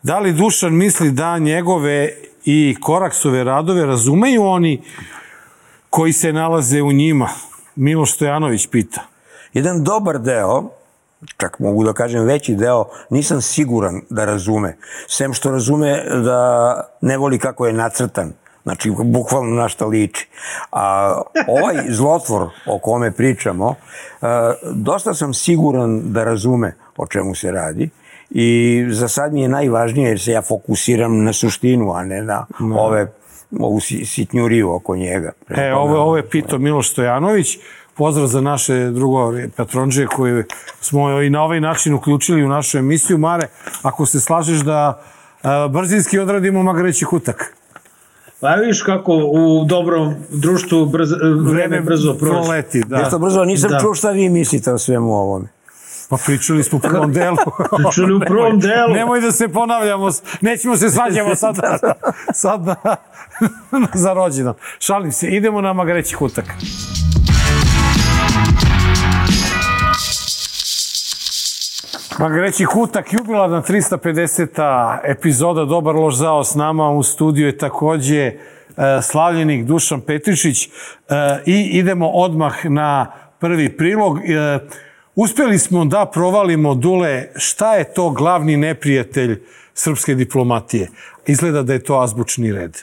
Da li Dušan misli da njegove i Koraksove radove razumeju oni koji se nalaze u njima? Miloš Stojanović pita. Jedan dobar deo, čak mogu da kažem veći deo, nisam siguran da razume. Sem što razume da ne voli kako je nacrtan. Znači, bukvalno na šta liči. A ovaj zlotvor o kome pričamo, dosta sam siguran da razume o čemu se radi i za sad mi je najvažnije jer se ja fokusiram na suštinu, a ne na no. ove, ovu sitnjuriju oko njega. E, ovo, ovo je pitao Miloš Stojanović. Pozdrav za naše drugove patronđe koje smo i na ovaj način uključili u našu emisiju. Mare, ako se slažeš da a, brzinski odradimo Magareći kutak. Pa viš kako u dobrom društvu brzo, vreme brzo prođe. Proleti, da. Nešto brzo, nisam da. čuo šta vi mislite o svemu ovome. Pa pričali smo u prvom delu. Pričali u prvom delu. Nemoj da se ponavljamo, nećemo se svađamo sad, sad na, za rođendan. Šalim se, idemo na Magareći kutak. Magareći kutak, jubilarna trista pedeseta epizoda Dobar loš zao. S nama u studiju je takođe e, slavljenik Dušan Petrišić e, i idemo odmah na prvi prilog. E, uspeli smo da provalimo, Dule, šta je to glavni neprijatelj srpske diplomatije? Izgleda da je to azbučni red.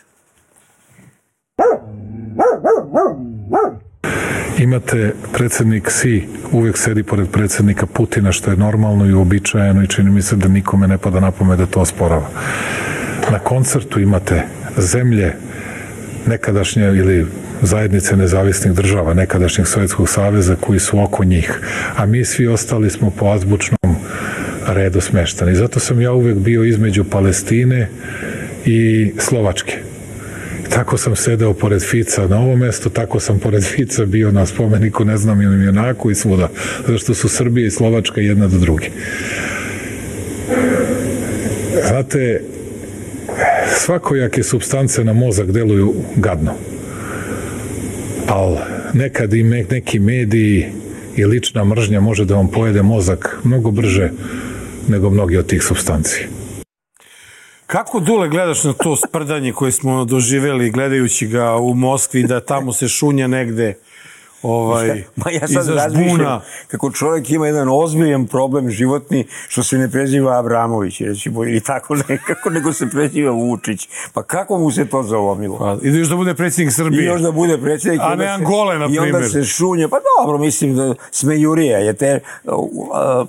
imate predsednik Xi uvek sedi pored predsednika Putina, što je normalno i uobičajeno i čini mi se da nikome ne pada na pamet da to osporava. Na koncertu imate zemlje nekadašnje ili zajednice nezavisnih država, nekadašnjeg Sovjetskog saveza koji su oko njih, a mi svi ostali smo po azbučnom redu smeštani. Zato sam ja uvek bio između Palestine i Slovačke. Tako sam sedeo pored Fica na ovo mesto, tako sam pored Fica bio na spomeniku ne znam ili junaku i svuda, zašto su Srbija i Slovačka jedna do druge. Znate, svakojake supstance na mozak deluju gadno, ali nekad i neki mediji i lična mržnja može da vam pojede mozak mnogo brže nego mnogi od tih supstanci. Kako, Dule, gledaš na to sprdanje koje smo doživeli gledajući ga u Moskvi, da tamo se šunja negde ovaj, Ma ja sad razmišljam kako čovjek ima jedan ozbiljan problem životni što se ne preziva Abramović, recimo, ili tako nekako, nego se preziva Vučić. Pa kako mu se to zalomilo? Pa, i da još da bude predsjednik Srbije. I još da bude predsjednik. A ne Angole, na primjer. I onda se šunja. Pa dobro, mislim da smejurija je te... Uh,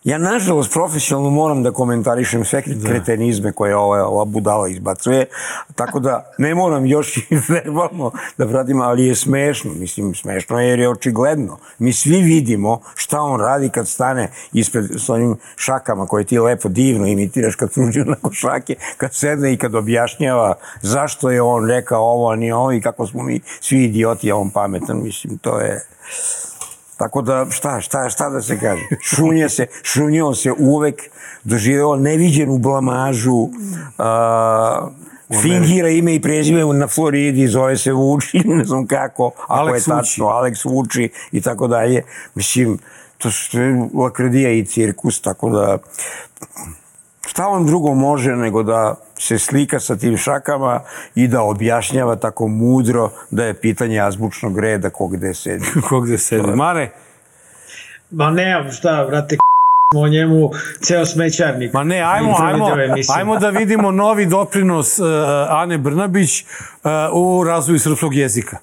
Ja, nažalost, profesionalno moram da komentarišem sve kretenizme koje ova, ova budala izbacuje, tako da ne moram još i verbalno da pratim, ali je smešno. Mislim, smešno je jer je očigledno. Mi svi vidimo šta on radi kad stane ispred s onim šakama koje ti lepo divno imitiraš kad suđu na košake, kad sedne i kad objašnjava zašto je on rekao ovo, a nije ovo i kako smo mi svi idioti, a on pametan. Mislim, to je... Tako da, šta, šta, šta da se kaže? Šunje se, šunio se uvek, doživeo neviđenu blamažu, uh, fingira ime i prezive na Floridi, zove se Vuči, ne znam kako, ako je tačno, Aleks Vuči i tako dalje. Mislim, to je lakrdija i cirkus, tako da... Šta on drugo može nego da se slika sa tim šakama i da objašnjava tako mudro da je pitanje azbučnog reda ko gde sedi. Ko gde sedi. Mare? Ma nemam šta, vrate, o njemu ceo smećarnik. Ma ne, ajmo, ajmo, ajmo da vidimo novi doprinos uh, Ane Brnabić uh, u razvoju srpskog jezika.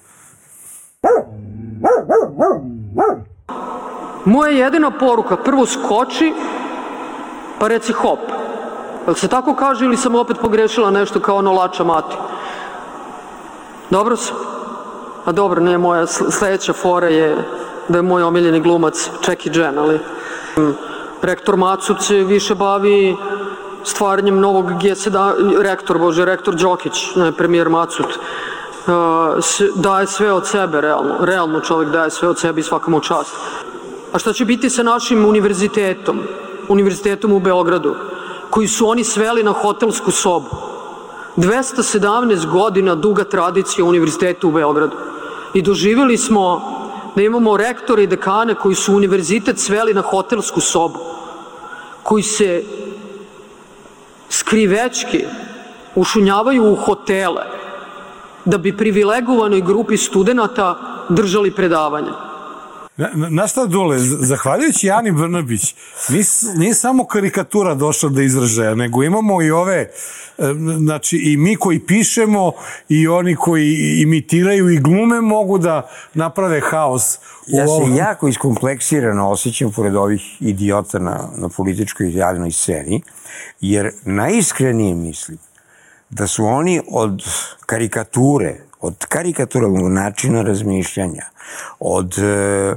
Moja jedina poruka, prvo skoči, pa reci hop. Jel se tako kaže ili sam opet pogrešila nešto kao ono lača mati? Dobro sam? A dobro, nije moja sledeća fora je da je moj omiljeni glumac Jackie Chan, ali rektor Macut se više bavi stvaranjem novog G sedam, rektor, bože, rektor Đokić, ne, premijer Macut, daje sve od sebe, realno, realno čovjek daje sve od sebe i svakamu čast. A šta će biti sa našim univerzitetom, univerzitetom u Beogradu, koji su oni sveli na hotelsku sobu? dvesta sedamnaest godina duga tradicija univerziteta u Beogradu. I doživjeli smo da imamo rektore i dekane koji su univerzitet sveli na hotelsku sobu, koji se skrivečki ušunjavaju u hotele da bi privilegovanoj grupi studenta držali predavanja. Na šta, Dule, zahvaljujući Ani Brnabić, nije samo karikatura došla do izražaja, nego imamo i ove, znači i mi koji pišemo i oni koji imitiraju i glume mogu da naprave haos. Ja se jako iskompleksirano osjećam pored ovih idiota na, na političkoj i javnoj sceni, jer najiskrenije mislim da su oni od karikature, od karikaturalnog načina razmišljanja, od e,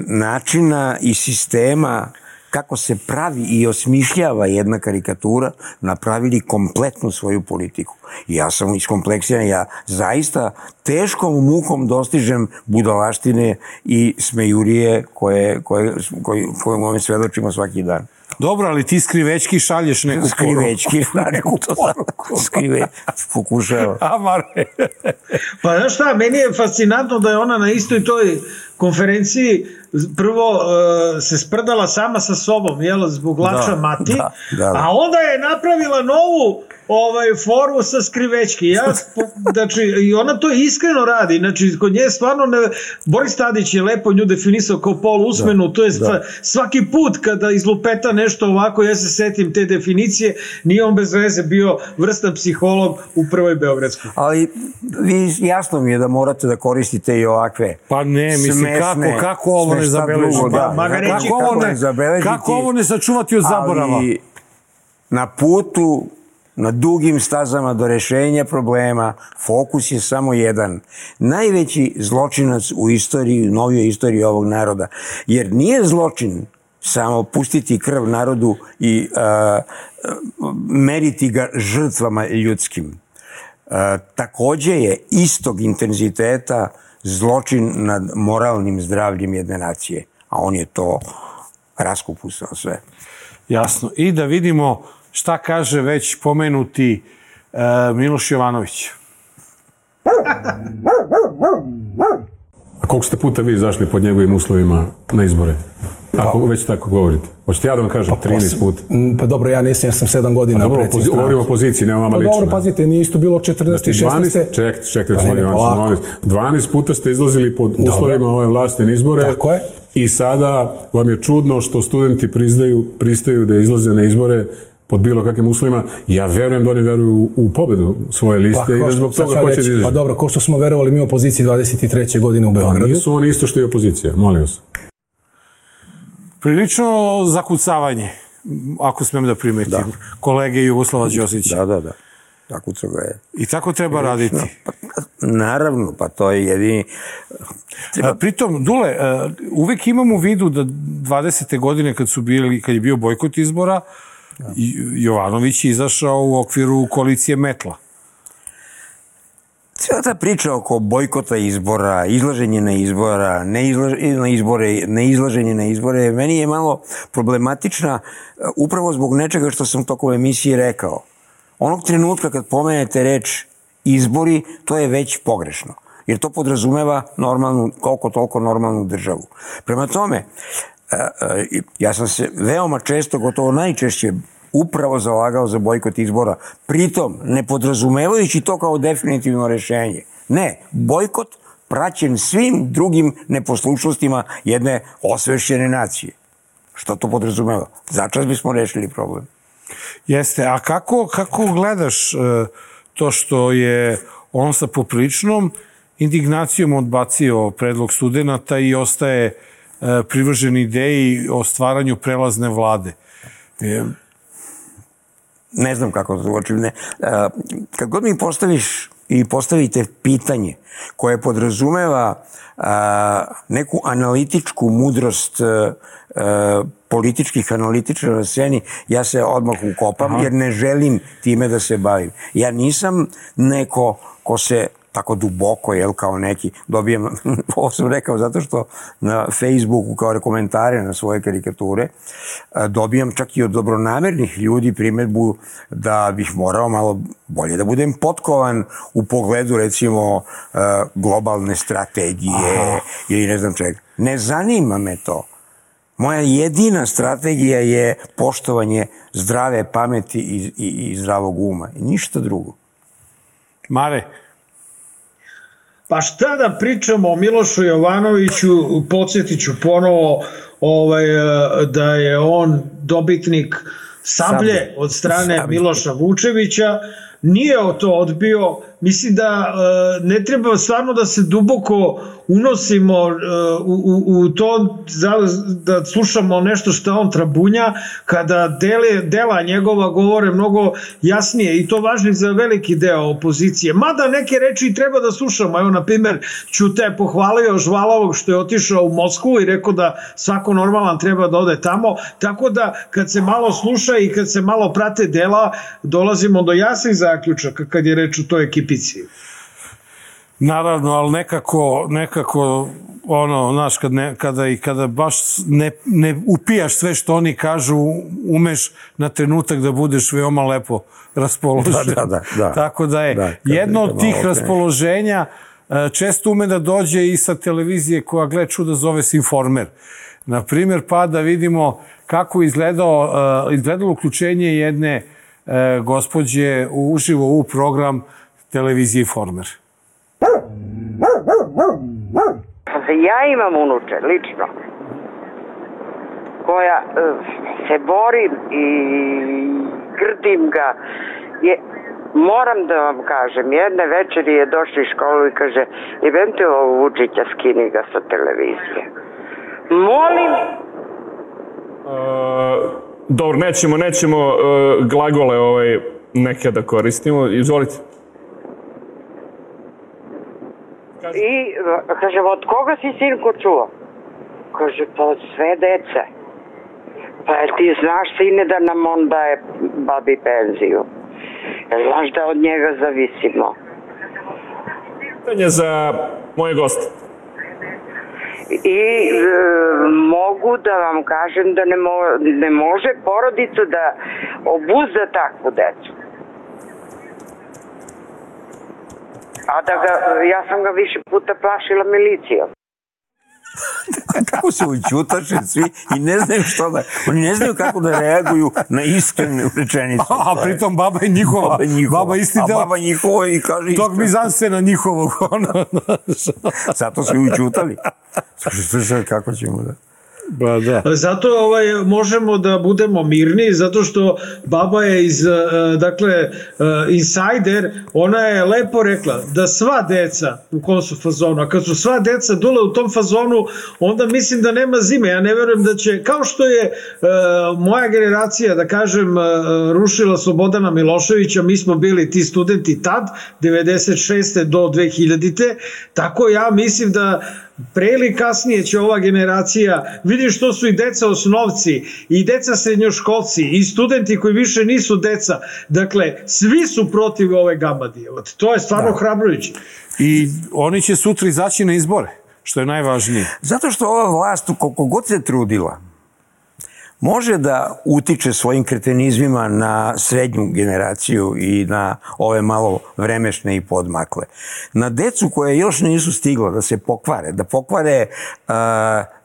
načina i sistema kako se pravi i osmišljava jedna karikatura, napravili kompletnu svoju politiku. I ja sam iskompleksiran, ja zaista teškom mukom dostižem budalaštine i smejurije koje, koje, koje, koje ove svedočimo svaki dan. Dobro, ali ti skrivečki šalješ neku poruku. Skrivečki, neku poruku. Skrive, pokušava. A, Mare. Pa znaš šta, meni je fascinantno da je ona na istoj toj konferenciji prvo uh, se sprdala sama sa sobom, jel, zbog lača da, mati, da, da, da. A onda je napravila novu ovaj, foru sa skrivečke. Ja, znači, i ona to iskreno radi. Znači, kod nje stvarno ne... Boris Tadić je lepo nju definisao kao polu usmenu, to je stva, svaki put kada izlupeta nešto ovako, ja se setim te definicije, nije on bez veze bio vrstan psiholog u prvoj Beogradskoj. Ali vi, jasno mi je da morate da koristite i ovakve pa ne, mislim, smešne, kako, kako ovo ne zabeleži? Da, da, reći, kako, ovo ne, zabeležiti, kako ovo ne sačuvati od zaborava? Ali na putu, na dugim stazama do rešenja problema, fokus je samo jedan. Najveći zločinac u istoriji, u novijoj istoriji ovog naroda. Jer nije zločin samo pustiti krv narodu i uh, meriti ga žrtvama ljudskim. Uh, takođe je istog intenziteta zločin nad moralnim zdravljem jedne nacije. A on je to raskupusao sve. Jasno. I da vidimo šta kaže već pomenuti uh, Miloš Jovanović. A koliko ste puta vi izašli pod njegovim uslovima na izbore? Ako već tako govorite. Hoćete ja da vam kažem trinaest puta? Pa dobro, ja nisam, jer sam sedam godina predsjednik stranke. Govorimo o poziciji, nema vama lično. Pa dobro, pazite, nije isto bilo četrnaest i šesnaest. Čekajte, čekajte, gospodin Jovanović. dvanaest puta ste izlazili pod uslovima ove vlasti na izbore. Tako je. I sada vam je čudno što studenti priznaju, pristaju da izlaze na izbore pod bilo kakvim uslovima. Ja verujem da oni veruju u pobedu svoje liste i da zbog toga hoće da izađe. Pa dobro, ko što smo verovali mi u opoziciji dvadeset treće godine u Beogradu. Nisu oni isto što i opozicija, molim vas. Prilično zakucavanje, ako smem da primetim, da. Kolege Jugoslava Ćosića. Da, da, da. Zakucao ga je. I tako treba raditi. Pa, naravno, pa to je jedini... Treba... Pritom, Dule, uvek imam u vidu da dvadesete godine kad su bili, kad je bio bojkot izbora, da. Jovanović je izašao u okviru koalicije Metla. Cijela ta priča oko bojkota izbora, izlaženje na izbora, neizlaženje na izbore, neizlaženje na izbore, meni je malo problematična upravo zbog nečega što sam tokom emisije rekao. Onog trenutka kad pomenete reč izbori, to je već pogrešno. Jer to podrazumeva normalnu, koliko toliko normalnu državu. Prema tome, ja sam se veoma često, gotovo najčešće, upravo zalagao za bojkot izbora. Pritom, ne podrazumevajući to kao definitivno rešenje. Ne, bojkot praćen svim drugim neposlušnostima jedne osvešćene nacije. Što to podrazumeva? Začas bismo rešili problem. Jeste, a kako, kako gledaš uh, to što je on sa popriličnom indignacijom odbacio predlog studenata i ostaje uh, privržen ideji o stvaranju prelazne vlade? Je... Ne znam kako to uočim. Ne. Kad god mi postaviš i postavite pitanje koje podrazumeva a, neku analitičku mudrost a, a, političkih analitičara na sceni, ja se odmah ukopam. Aha. Jer ne želim time da se bavim. Ja nisam neko ko se tako duboko, jel, kao neki, dobijem, ovo sam rekao zato što na Facebooku kao komentare na svoje karikature dobijam čak i od dobronamernih ljudi primedbu da bih morao malo bolje da budem potkovan u pogledu, recimo, globalne strategije. Aha. Ili ne znam čega. Ne zanima me to. Moja jedina strategija je poštovanje zdrave pameti i, i, i zdravog uma. I ništa drugo. Mare, pa šta da pričamo o Milošu Jovanoviću, podsjetit ću ponovo ovaj, da je on dobitnik Sablje od strane Sablje. Miloša Vučevića, nije to odbio. Mislim da ne treba stvarno da se duboko unosimo u, u, u to da slušamo nešto što on trabunja, kada dele, dela njegova govore mnogo jasnije i to važno za veliki deo opozicije. Mada neke reči treba da slušamo. Evo, na primjer, Ćute je pohvalio Žvalovog što je otišao u Moskvu i rekao da svako normalan treba da ode tamo. Tako da kad se malo sluša i kad se malo prate dela, dolazimo do jasnih zaključaka kad je reč o toj ekipici. Naravno, ali nekako, nekako ono, znaš, kad ne, kada, i kada baš ne, ne upijaš sve što oni kažu, umeš na trenutak da budeš veoma lepo raspoložen. Da, da, da, da. Tako da je da, jedno od tih okay. raspoloženja često ume da dođe i sa televizije koja, gle čuda, zove se Informer. Naprimjer, pa da vidimo kako izgledao, izgledalo uključenje jedne e, gospođe uživo u program televizije Informer. Ja imam unuče, lično, koja uh, se borim i grdim ga. Je, moram da vam kažem, jedne večeri je došao iz školu i kaže, jebem te ovo Vučića, skini ga sa televizije. Molim. Uh, dobro, nećemo, nećemo uh, glagole ovaj, neke da koristimo. Izvolite. I kaže, od koga si sinko čuo? Kaže, pa od sve dece. Pa ti znaš, sine, da nam on daje babi penziju. Znaš da od njega zavisimo. Pitanje za moje goste. I e, mogu da vam kažem da ne, mo, ne može porodicu da obuzda takvu decu. A da ga, ja sam ga više puta plašila milicijom. Kako se učutaše svi i ne znaju što da... Oni ne znaju kako da reaguju na iskrenu rečenicu. A pritom baba je njihova. Baba, njihova. Baba isti deo. A baba njihova i kaže isto. Tog mizansena njihovog. Zato su i učutali. Slušaj, kako ćemo da... Ba, da. Zato ovaj, možemo da budemo mirni, zato što baba je iz, dakle, insider, ona je lepo rekla da sva deca u kom su fazonu, a kad su sva deca dole u tom fazonu, onda mislim da nema zime. Ja ne verujem da će, kao što je uh, moja generacija, da kažem, uh, rušila Slobodana Miloševića, mi smo bili ti studenti tad, devedeset šeste do dve hiljadite, tako ja mislim da pre ili kasnije će ova generacija, vidiš što su i deca osnovci i deca srednjoškolci i studenti koji više nisu deca, dakle svi su protiv ove gamadije, to je stvarno da. Hrabrujuće. I oni će sutra izaći na izbore, što je najvažnije. Zato što ova vlast, koliko god se trudila, može da utiče svojim kretenizmima na srednju generaciju i na ove malo vremešne i podmakle. Na decu koje još nisu stigla da se pokvare, da pokvare uh,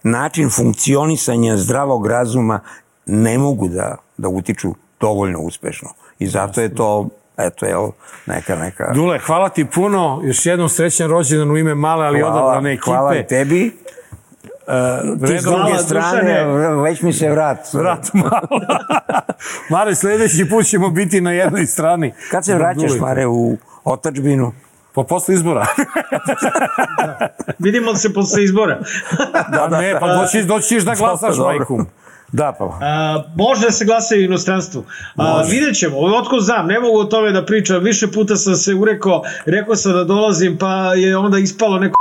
način funkcionisanja zdravog razuma, ne mogu da, da utiču dovoljno uspešno. I zato je to, eto, jel, neka, neka... Dule, hvala ti puno. Još jednom srećan rođendan u ime male, ali odabrane ekipe. Hvala tebi. Uh, ti s druge strane, već mi se vrat. Vrat malo. Mare, sljedeći put ćemo biti na jednoj strani. Kad se vraćaš, Mare, u otadžbinu? Pa posle izbora. Da. Vidimo se posle izbora. Da, da, ne, pa doći, doćiš da glasaš, majku. Da, pa. A, može da se glasa i u inostranstvu. A, vidjet ćemo, otko znam, ne mogu o tome da pričam. Više puta sam se urekao, rekao sam da dolazim, pa je onda ispalo neko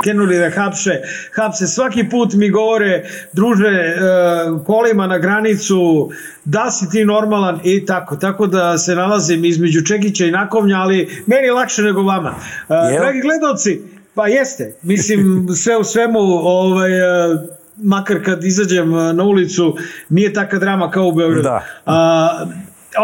krenuli da hapše, hapse. Svaki put mi govore, druže, kolima na granicu, da si ti normalan i tako. Tako da se nalazim između Čekića i Nakovnja, ali meni je lakše nego vama. Dragi gledalci, pa jeste, mislim, sve u svemu, ovaj, makar kad izađem na ulicu, nije taka drama kao u Beogradu. Da. A,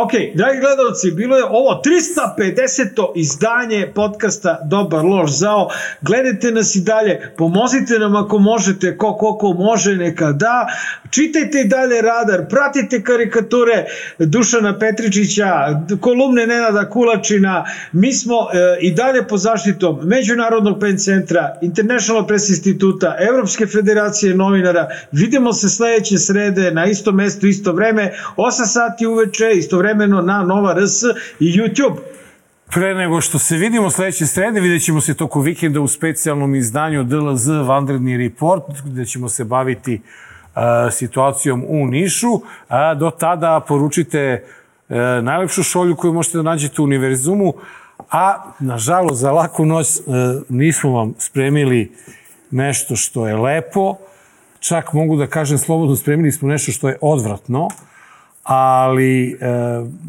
ok, dragi gledalci, bilo je ovo trista pedeseto izdanje podcasta Dobar, loš, zao. Gledajte nas i dalje, pomozite nam ako možete, ko koliko može, neka da. Čitajte i dalje Radar, pratite karikature Dušana Petričića, kolumne Nenada Kulačina. Mi smo e, i dalje pod zaštitom Međunarodnog pen centra, International Press instituta, Evropske federacije novinara. Vidimo se sledeće srede na isto mesto, isto vreme, osam sati uveče, isto vremeno na Nova R S i YouTube. Pre nego što se vidimo sledeće srede, vidjet ćemo se toko vikenda u specijalnom izdanju D L Z Vanredni report, gde ćemo se baviti uh, situacijom u Nišu. A do tada poručite uh, najlepšu šolju koju možete da nađete u univerzumu, a nažalost za laku noć uh, nismo vam spremili nešto što je lepo, čak mogu da kažem slobodno, spremili smo nešto što je odvratno, ali e,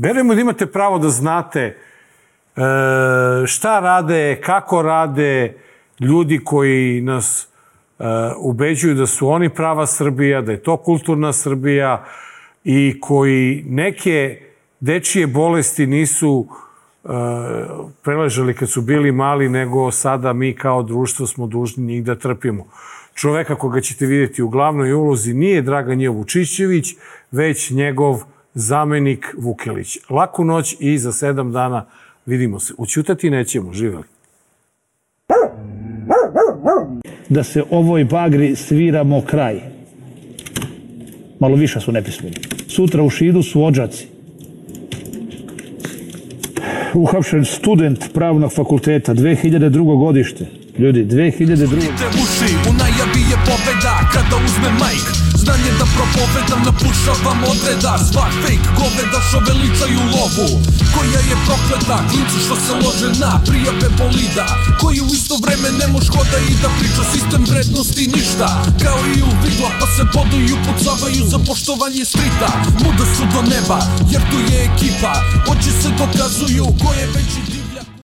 verujemo da imate pravo da znate e, šta rade, kako rade ljudi koji nas e, ubeđuju da su oni prava Srbija, da je to kulturna Srbija i koji neke dečije bolesti nisu e, preležali kad su bili mali, nego sada mi kao društvo smo dužni njih da trpimo. Čoveka koga ćete vidjeti u glavnoj ulozi nije Dragan J. Vučićević, već njegov zamenik Vukelić. Laku noć i za sedam dana vidimo se. Ućutati nećemo, živeli. Da se ovoj bagri sviramo kraj. Malo više su nepismeni. Sutra u Šidu su odžaci. Uhapšen student pravnog fakulteta, dve hiljade drugo godište. Ljudi, dve hiljade drugo uši, u najavi je pobeda kada uzme majk. Znanje da propovedam, napušavam odreda. Svak fake goveda što veličaju lovu, koja je prokleta, klinci što se lože na prijave bolida, koji u isto vreme ne mož hoda i da priča sistem vrednosti ništa. Kao i u vidla pa se boduju, pucavaju za poštovanje strita. Muda su do neba jer tu je ekipa, oči se dokazuju ko je veći div.